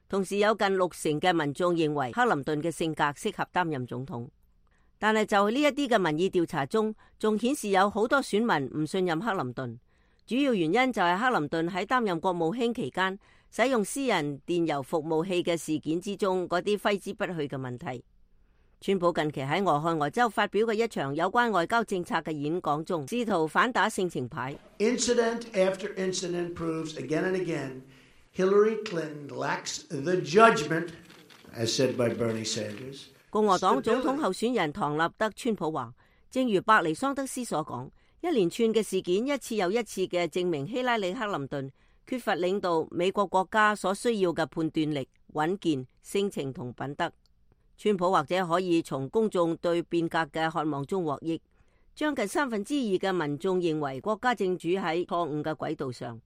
同時有近六成嘅民眾認為克林頓嘅性格適合擔任總統。但係就呢一啲嘅民意調查中，仲顯示有好多選民唔信任克林頓，主要原因就係克林頓喺擔任國務卿期間使用私人電郵服務器嘅事件之中嗰啲揮之不去嘅問題。川普近期喺俄亥俄州發表嘅一場有關外交政策嘅演講中，試圖反打性情牌。Incident after incident proves again and again Hillary Clinton lacks the judgment, as said by Bernie Sanders。共和黨總統候選人唐納德川普話，正如伯尼桑德斯所講，一連串嘅事件一次又一次嘅證明希拉里克林頓缺乏領導美國國家所需要嘅判斷力、穩健、性情同品德。川普或者可以從公眾對變革嘅渴望中獲益，將近三分之二嘅民眾認為國家正處喺錯誤嘅軌道上。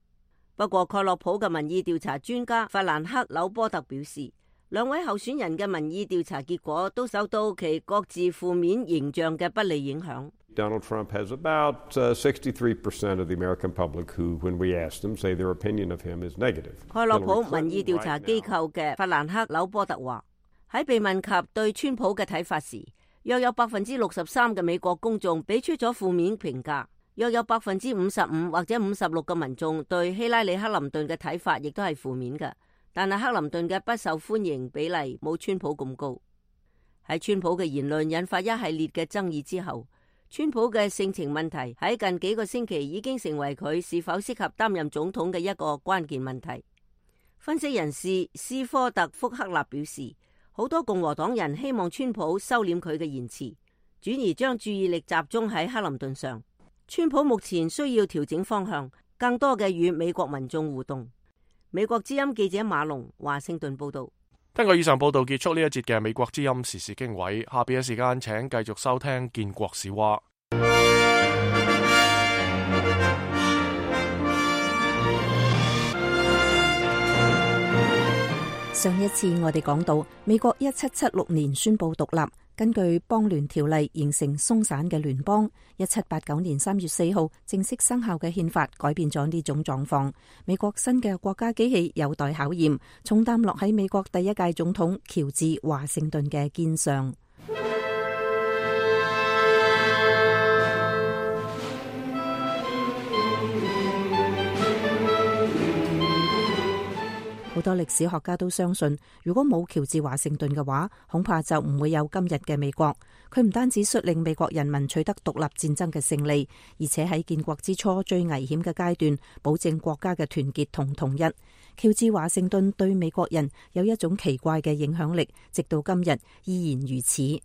不過蓋洛普嘅民意調查專家法蘭克紐波特表示，兩位候選人嘅民意調查結果都受到其各自負面形象嘅不利影響。Donald Trump has about sixty-three percent of the American public who, when we ask them, say their opinion of him is negative。蓋洛普民意調查機構嘅法蘭克紐波特話，喺被問及對川普嘅睇法時，約有百分之六十三嘅美國公眾俾出咗負面評價，約有百分之五十五或者五十六嘅民眾對希拉里克林頓嘅睇法亦都係負面嘅。但係克林頓嘅不受歡迎比例冇川普咁高。喺川普嘅言論引發一系列嘅爭議之後，川普嘅性情問題喺近幾個星期已經成為佢是否適合擔任總統嘅一個關鍵問題。分析人士斯科特福克納表示，好多共和黨人希望川普收斂佢嘅言辭，轉而將注意力集中喺克林頓上。川普目前需要調整方向，更多嘅與美國民眾互動。美國之音記者馬龍華盛頓報道。根據以上報道結束呢一節嘅美國之音時事經緯，下邊嘅時間請繼續收聽建國史話。上一次我哋講到，美國一七七六年宣布獨立，根據邦聯條例形成鬆散嘅聯邦。一七八九年三月四號正式生效嘅憲法改變咗呢種狀況。美國新嘅國家機器有待考驗，重擔落喺美國第一屆總統喬治華盛頓嘅肩上。好多歷史學家都相信，如果冇喬治華盛頓嘅話，恐怕就唔會有今日嘅美國。佢唔單止率領美國人民取得獨立戰爭嘅勝利，而且喺建國之初最危險嘅階段，保證國家嘅團結同統一。喬治華盛頓對美國人有一種奇怪嘅影響力，直到今日依然如此。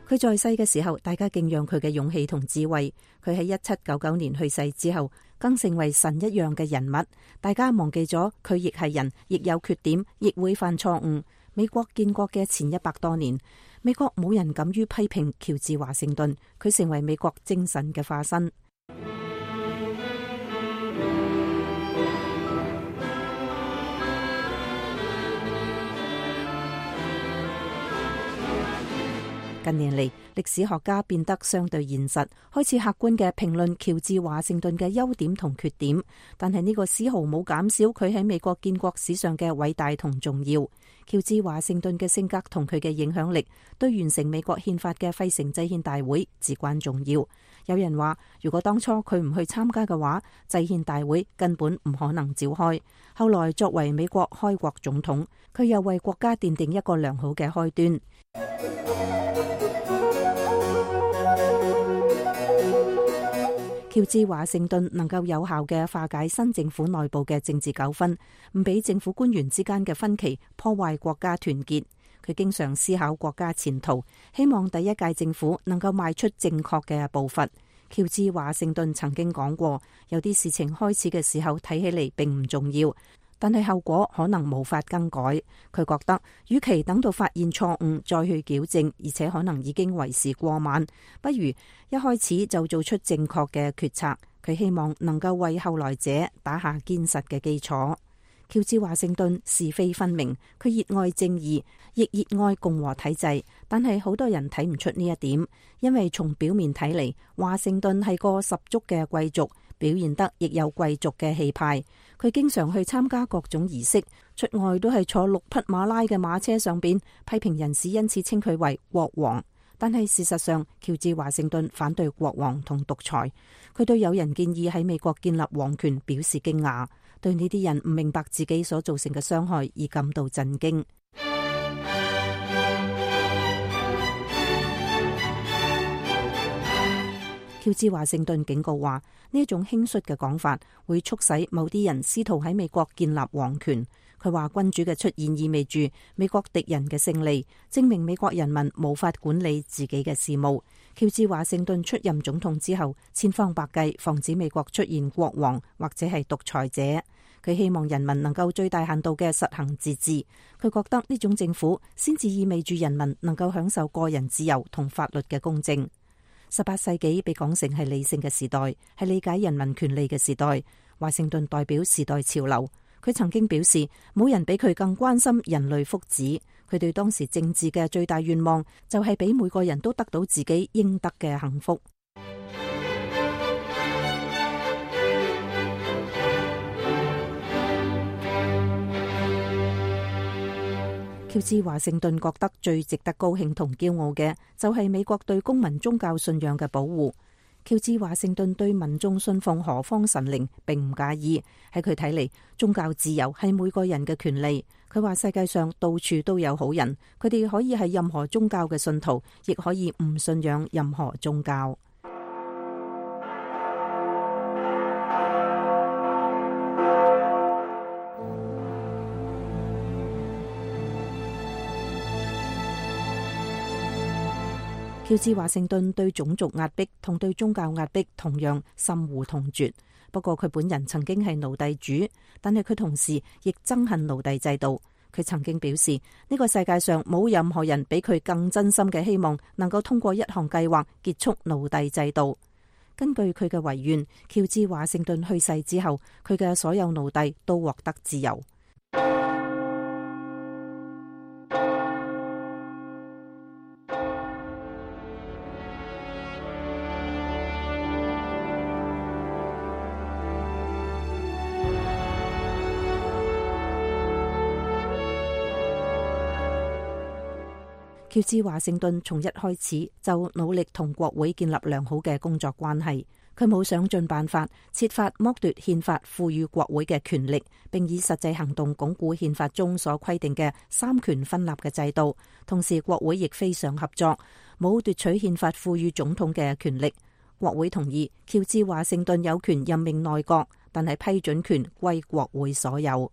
佢在世嘅時候，大家敬仰佢嘅勇氣同智慧。佢喺一七九九年去世之後，更成為神一樣嘅人物。大家忘記咗佢亦係人，亦有缺點，亦會犯錯誤。美國建國嘅前一百多年，美國冇人敢於批評喬治華盛頓，佢成為美國精神嘅化身。近年嚟，歷史學家變得相對現實，開始客觀嘅評論喬治華盛頓嘅優點同缺點，但係呢個絲毫冇減少佢喺美國建國史上嘅偉大同重要。喬治華盛頓嘅性格同佢嘅影響力，對完成美國憲法嘅費城制憲大會至關重要。有人話，如果當初佢唔去參加嘅話，制憲大會根本唔可能召開。後來作為美國開國總統，佢又為國家奠定一個良好嘅開端。喬治華盛頓能夠有效嘅化解新政府內部嘅政治糾紛，唔俾政府官員之間嘅分歧破壞國家團結。佢經常思考國家前途，希望第一屆政府能夠邁出正確嘅步伐。喬治華盛頓曾經講過，有啲事情開始嘅時候睇起嚟並唔重要，但係後果可能無法更改。佢覺得，與其等到發現錯誤再去矯正，而且可能已經為時過晚，不如一開始就做出正確嘅決策。佢希望能夠為後來者打下堅實嘅基礎。喬治華盛頓是非分明，佢熱愛正義，亦熱愛共和體制，但係好多人睇唔出呢一點，因為從表面睇嚟，華盛頓係個十足嘅貴族，表現得亦有貴族嘅氣派。佢經常去參加各種儀式，出外都係坐六匹馬拉嘅馬車上邊，批評人士因此稱佢為國王。但係事實上，喬治華盛頓反對國王同獨裁，佢對有人建議喺美國建立皇權表示驚訝，對呢啲人唔明白自己所造成嘅傷害而感到震驚。喬治華盛頓警告話，呢一種輕率嘅講法會促使某啲人試圖喺美國建立皇權。佢話君主嘅出現意味住美國敵人嘅勝利，證明美國人民無法管理自己嘅事務。喬治華盛頓出任總統之後，千方百計防止美國出現國王或者係獨裁者。佢希望人民能夠最大限度嘅實行自治。佢覺得呢種政府先至意味住人民能夠享受個人自由同法律嘅公正。十八世紀被講成係理性嘅時代，係理解人民權利嘅時代。華盛頓代表時代潮流。佢曾經表示，冇人比佢更關心人類福祉。佢對當時政治嘅最大願望就係俾每個人都得到自己應得嘅幸福。喬治華盛頓覺得最值得高興同驕傲嘅就係美國對公民宗教信仰嘅保護。喬治華盛頓對民眾信奉何方神靈並唔介意，喺佢睇嚟，宗教自由係每個人嘅權利。佢話世界上到處都有好人，佢哋可以係任何宗教嘅信徒，亦可以唔信仰任何宗教。喬治華盛頓對種族壓迫同對宗教壓迫同樣深惡痛絕。不過佢本人曾經係奴隸主，但係佢同時亦憎恨奴隸制度。佢曾經表示，呢個世界上冇任何人比佢更真心嘅希望能夠通過一項計劃結束奴隸制度。根據佢嘅遺願，喬治華盛頓去世之後，佢嘅所有奴隸都獲得自由。喬治華盛頓從一開始就努力同國會建立良好嘅工作關係，佢冇想盡辦法設法剝奪憲法賦予國會嘅權力，並以實際行動鞏固憲法中所規定嘅三權分立嘅制度。同時，國會亦非常合作，冇奪取憲法賦予總統嘅權力。國會同意喬治華盛頓有權任命內閣，但係批准權歸國會所有。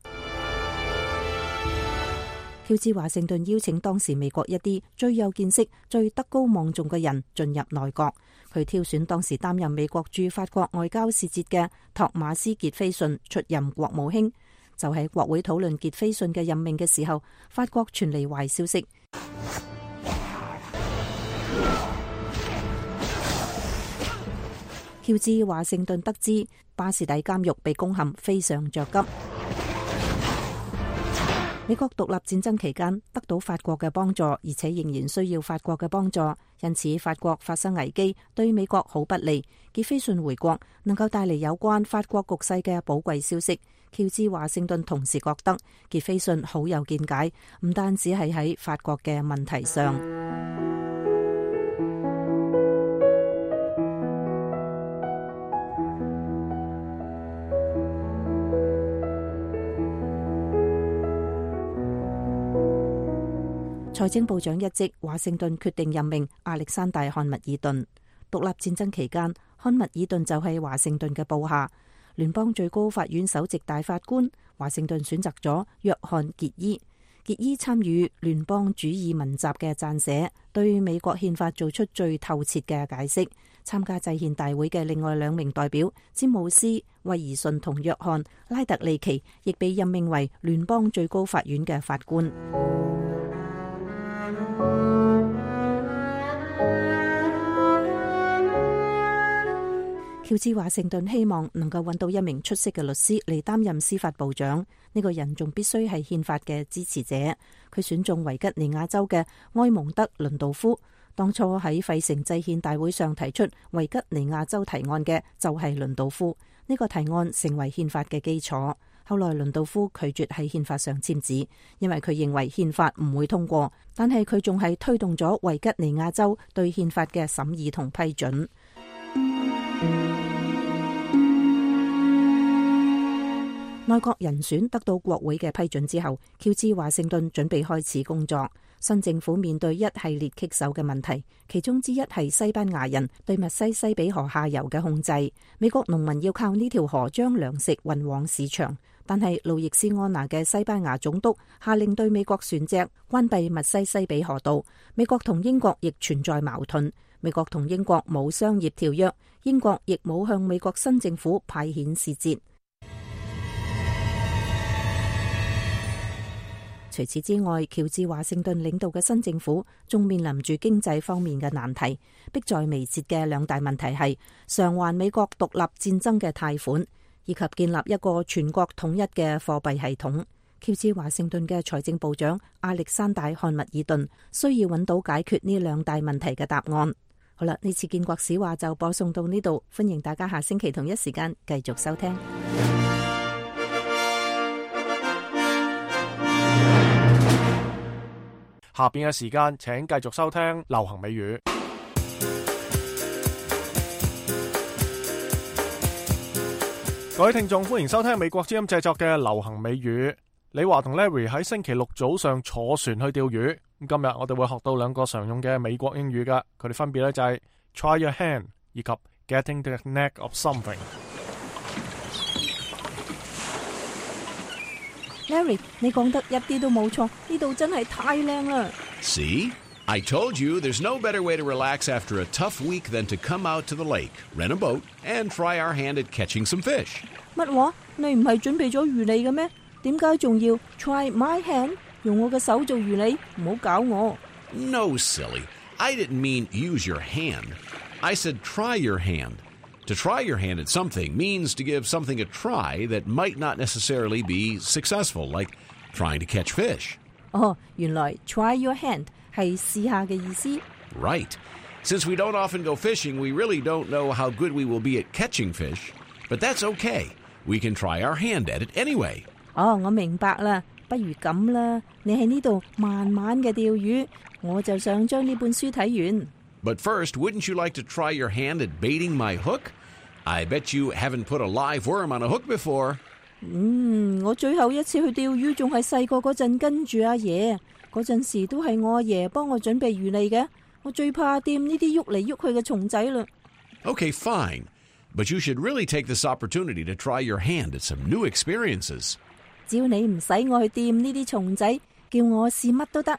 喬治華盛頓邀請當時美國一啲最有見識、最德高望重嘅人進入內閣。佢挑選當時擔任美國駐法國外交使節嘅托馬斯傑菲遜出任國務卿。就喺國會討論傑菲遜嘅任命嘅時候，法國傳嚟壞消息。喬治華盛頓得知巴士底監獄被攻陷，非常着急。美國獨立戰爭期間得到法國嘅幫助，而且仍然需要法國嘅幫助，因此法國發生危機對美國好不利。傑菲遜回國能夠帶嚟有關法國局勢嘅寶貴消息。喬治華盛頓同時覺得傑菲遜好有見解，唔單止係喺法國嘅問題上。財政部長一職，華盛頓決定任命亞歷山大·漢密爾頓。獨立戰爭期間，漢密爾頓就係華盛頓嘅部下。聯邦最高法院首席大法官，華盛頓選擇咗約翰·傑伊。傑伊參與聯邦主義文集嘅撰寫，對美國憲法做出最透徹嘅解釋。參加制憲大會嘅另外兩名代表，詹姆斯·威爾遜同約翰·拉特利奇，亦被任命為聯邦最高法院嘅法官。喬治華盛頓希望能夠揾到一名出色嘅律師嚟擔任司法部長，呢個人仲必須係憲法嘅支持者。佢選中維吉尼亞州嘅埃蒙德·倫道夫。當初喺費城制憲大會上提出維吉尼亞州提案嘅就係倫道夫，呢個提案成為憲法嘅基礎。後來倫道夫拒絕喺憲法上簽字，因為佢認為憲法唔會通過，但係佢仲係推動咗維吉尼亞州對憲法嘅審議同批准。內閣人選得到國會嘅批准之後，喬治華盛頓準備開始工作。新政府面對一系列棘手嘅問題，其中之一係西班牙人對密西西比河下游嘅控制。美國農民要靠呢條河將糧食運往市場，但係路易斯安那嘅西班牙總督下令對美國船隻關閉密西西比河道。美國同英國亦存在矛盾，美國同英國冇商業條約，英國亦冇向美國新政府派遣使節。除此之外，喬治華盛頓領導嘅新政府仲面臨住經濟方面嘅難題，迫在眉睫嘅兩大問題係償還美國獨立戰爭嘅貸款，以及建立一個全國統一嘅貨幣系統。喬治華盛頓嘅財政部長亞歷山大漢密爾頓需要揾到解決呢兩大問題嘅答案。好啦，呢次建國史話就播送到呢度，歡迎大家下星期同一時間繼續收聽。下邊嘅時間，請繼續收聽流行美語。各位聽眾，歡迎收聽美國之音製作嘅流行美語。李華同 Larry 喺星期六早上坐船去釣魚。今日我哋會學到兩個常用嘅美國英語噶，佢哋分別咧就係 try your hand 以及 getting the knack of something。Larry， 你講得一啲都冇錯，呢度真係太靚啦。See? I told you there's no better way to relax after a tough week than to come out to the lake, rent a boat, and try our hand at catching some fish. 乜話？你唔係準備咗魚餌嘅咩？點解仲要 try my hand？ 用我嘅手做魚餌？唔好搞我。No, silly. I didn't mean use your hand. I said try your hand. To try your hand at something means to give something a try that might not necessarily be successful, like trying to catch fish. 哦，原來 try your hand 係試下嘅意思。Right. Since we don't often go fishing, we really don't know how good we will be at catching fish. But that's okay. We can try our hand at it anyway. 哦，我明白啦。不如咁啦，你喺呢度慢慢嘅釣魚，我就想將呢本書睇完。But first, wouldn't you like to try your hand at baiting my hook? I bet you haven't put a live worm on a hook before. 嗯，我最後一次去釣魚仲係細個嗰陣跟住阿爺，嗰陣時都係我阿爺幫我準備魚嚟嘅。我最怕掂呢啲喐嚟喐去嘅蟲仔啦。Okay, fine. But you should really take this opportunity to try your hand at some new experiences. 只要你唔使我去掂呢啲蟲仔，叫我試乜都得。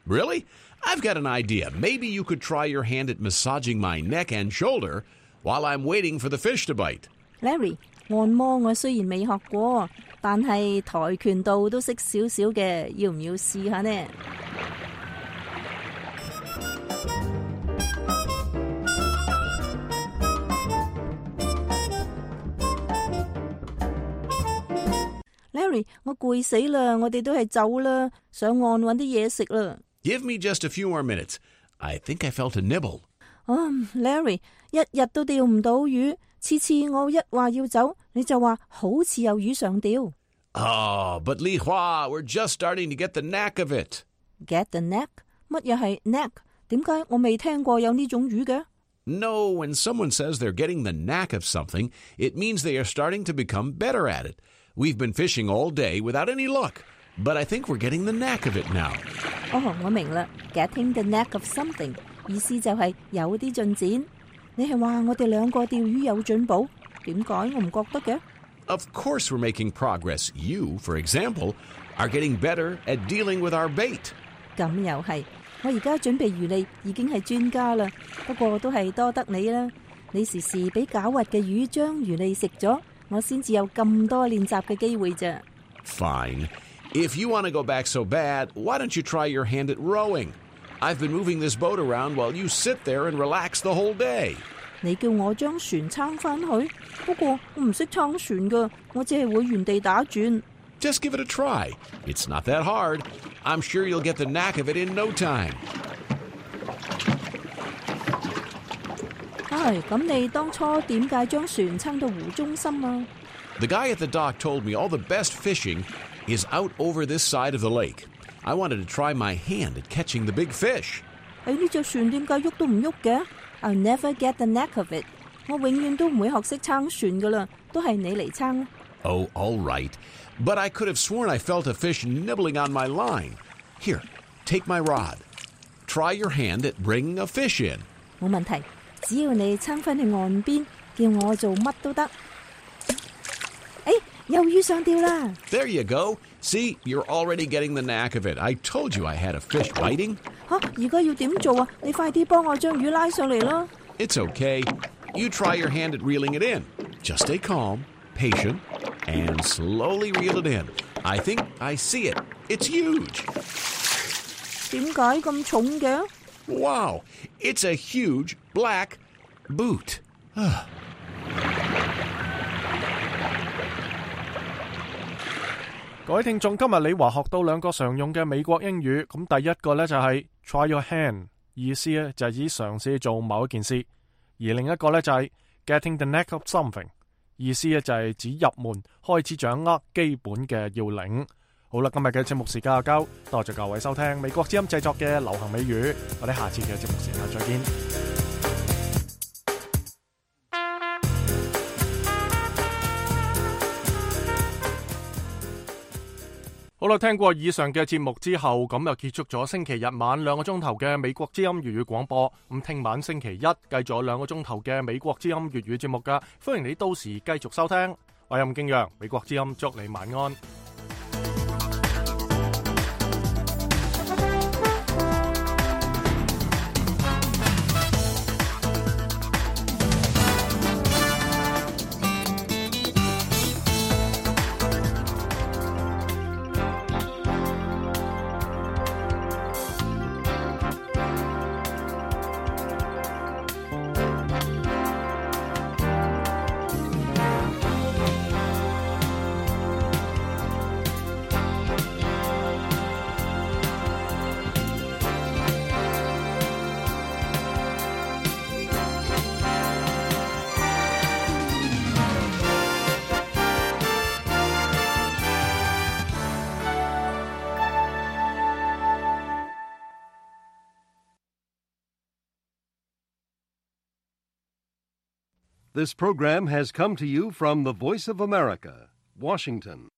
Really? I've got an idea. Maybe you could try your hand at massaging my neck and shoulder while I'm waiting for the fish to bite. Larry, 按摩我雖然未學過，但係跆拳道都識少少嘅，要唔要試下呢？Larry， 我攰死啦，我哋都係走啦，上岸搵啲嘢食啦。Give me just a few more minutes. I think I felt a nibble. 啊、um, ，Larry， 一日都釣唔到魚，次次我一話要走，你就話好似有魚上釣。Oh, but Li Hua, we're just starting to get the knack of it. Get the knack？ 乜嘢係 knack？ 點解我未聽過有呢種魚嘅？ No, when someone says they're getting the knack of something, it means they are starting to become better at it. We've been fishing all day without any luck, but I think we're getting the knack of it now. 哦，我明啦 ，getting the knack of something 意思就係有啲進展。你係話我哋兩個釣魚有進步？點解我唔覺得嘅？ Of course we're making progress. You, for example, are getting better at dealing with our bait. 咁又係，我而家準備魚餌已經係專家啦，不過都係多得你啦。你時時俾狡猾嘅魚將魚餌食咗。我先至有咁多練習嘅機會啫。Fine. If you want to go back so bad, why don't you try your hand at rowing? I've been moving this boat around while you sit there and relax the whole day. 你叫我將船撐翻去，不過我唔識撐船噶，我只係會原地打轉。Just give it a try. It's not that hard. I'm sure you'll get the knack of it in no time. 唉，咁你當初點解將船撐到湖中心啊？ The guy at the dock told me all the best fishing is out over this side of the lake. I wanted to try my hand at catching the big fish. 誒，呢隻船點解喐都唔喐嘅 ？I'll never get the knack of it. 我永遠都唔會學識撐船噶啦，都係你嚟撐。Oh, all right. But I could have sworn I felt a fish nibbling on my line. Here, take my rod. Try your hand at bringing a fish in. 冇問題。只要你撐返去岸邊，叫我做乜都得。誒，有魚上釣啦 There you go. See, you're already getting the knack of it. I told you I had a fish biting. 嚇，而家要點做啊？你快啲幫我將魚拉上嚟啦。It's okay. You try your hand at reeling it in. Just stay calm, patient, and slowly reel it in. I think I see it. It's huge. 點解咁重嘅？ Wow, it's a huge black boot. 各位聽眾，今日李華學到兩個常用嘅美國英語，咁第一個呢就係 try your hand， 意思呢就係指嘗試做某一件事，而另一個呢就係 getting the knack of something， 意思呢就係指入門開始掌握基本嘅要領。好啦，今日嘅節目時間就夠，多謝各位收聽美國之音製作嘅流行美語，我哋下次嘅節目時間再見。好啦，聽過以上嘅節目之後，咁又結束咗星期日晚兩個鐘頭嘅美國之音粵語廣播。咁聽晚星期一繼續有兩個鐘頭嘅美國之音粵語節目噶，歡迎你到時繼續收聽。我係任敬陽，美國之音祝你晚安。This program has come to you from the Voice of America, Washington.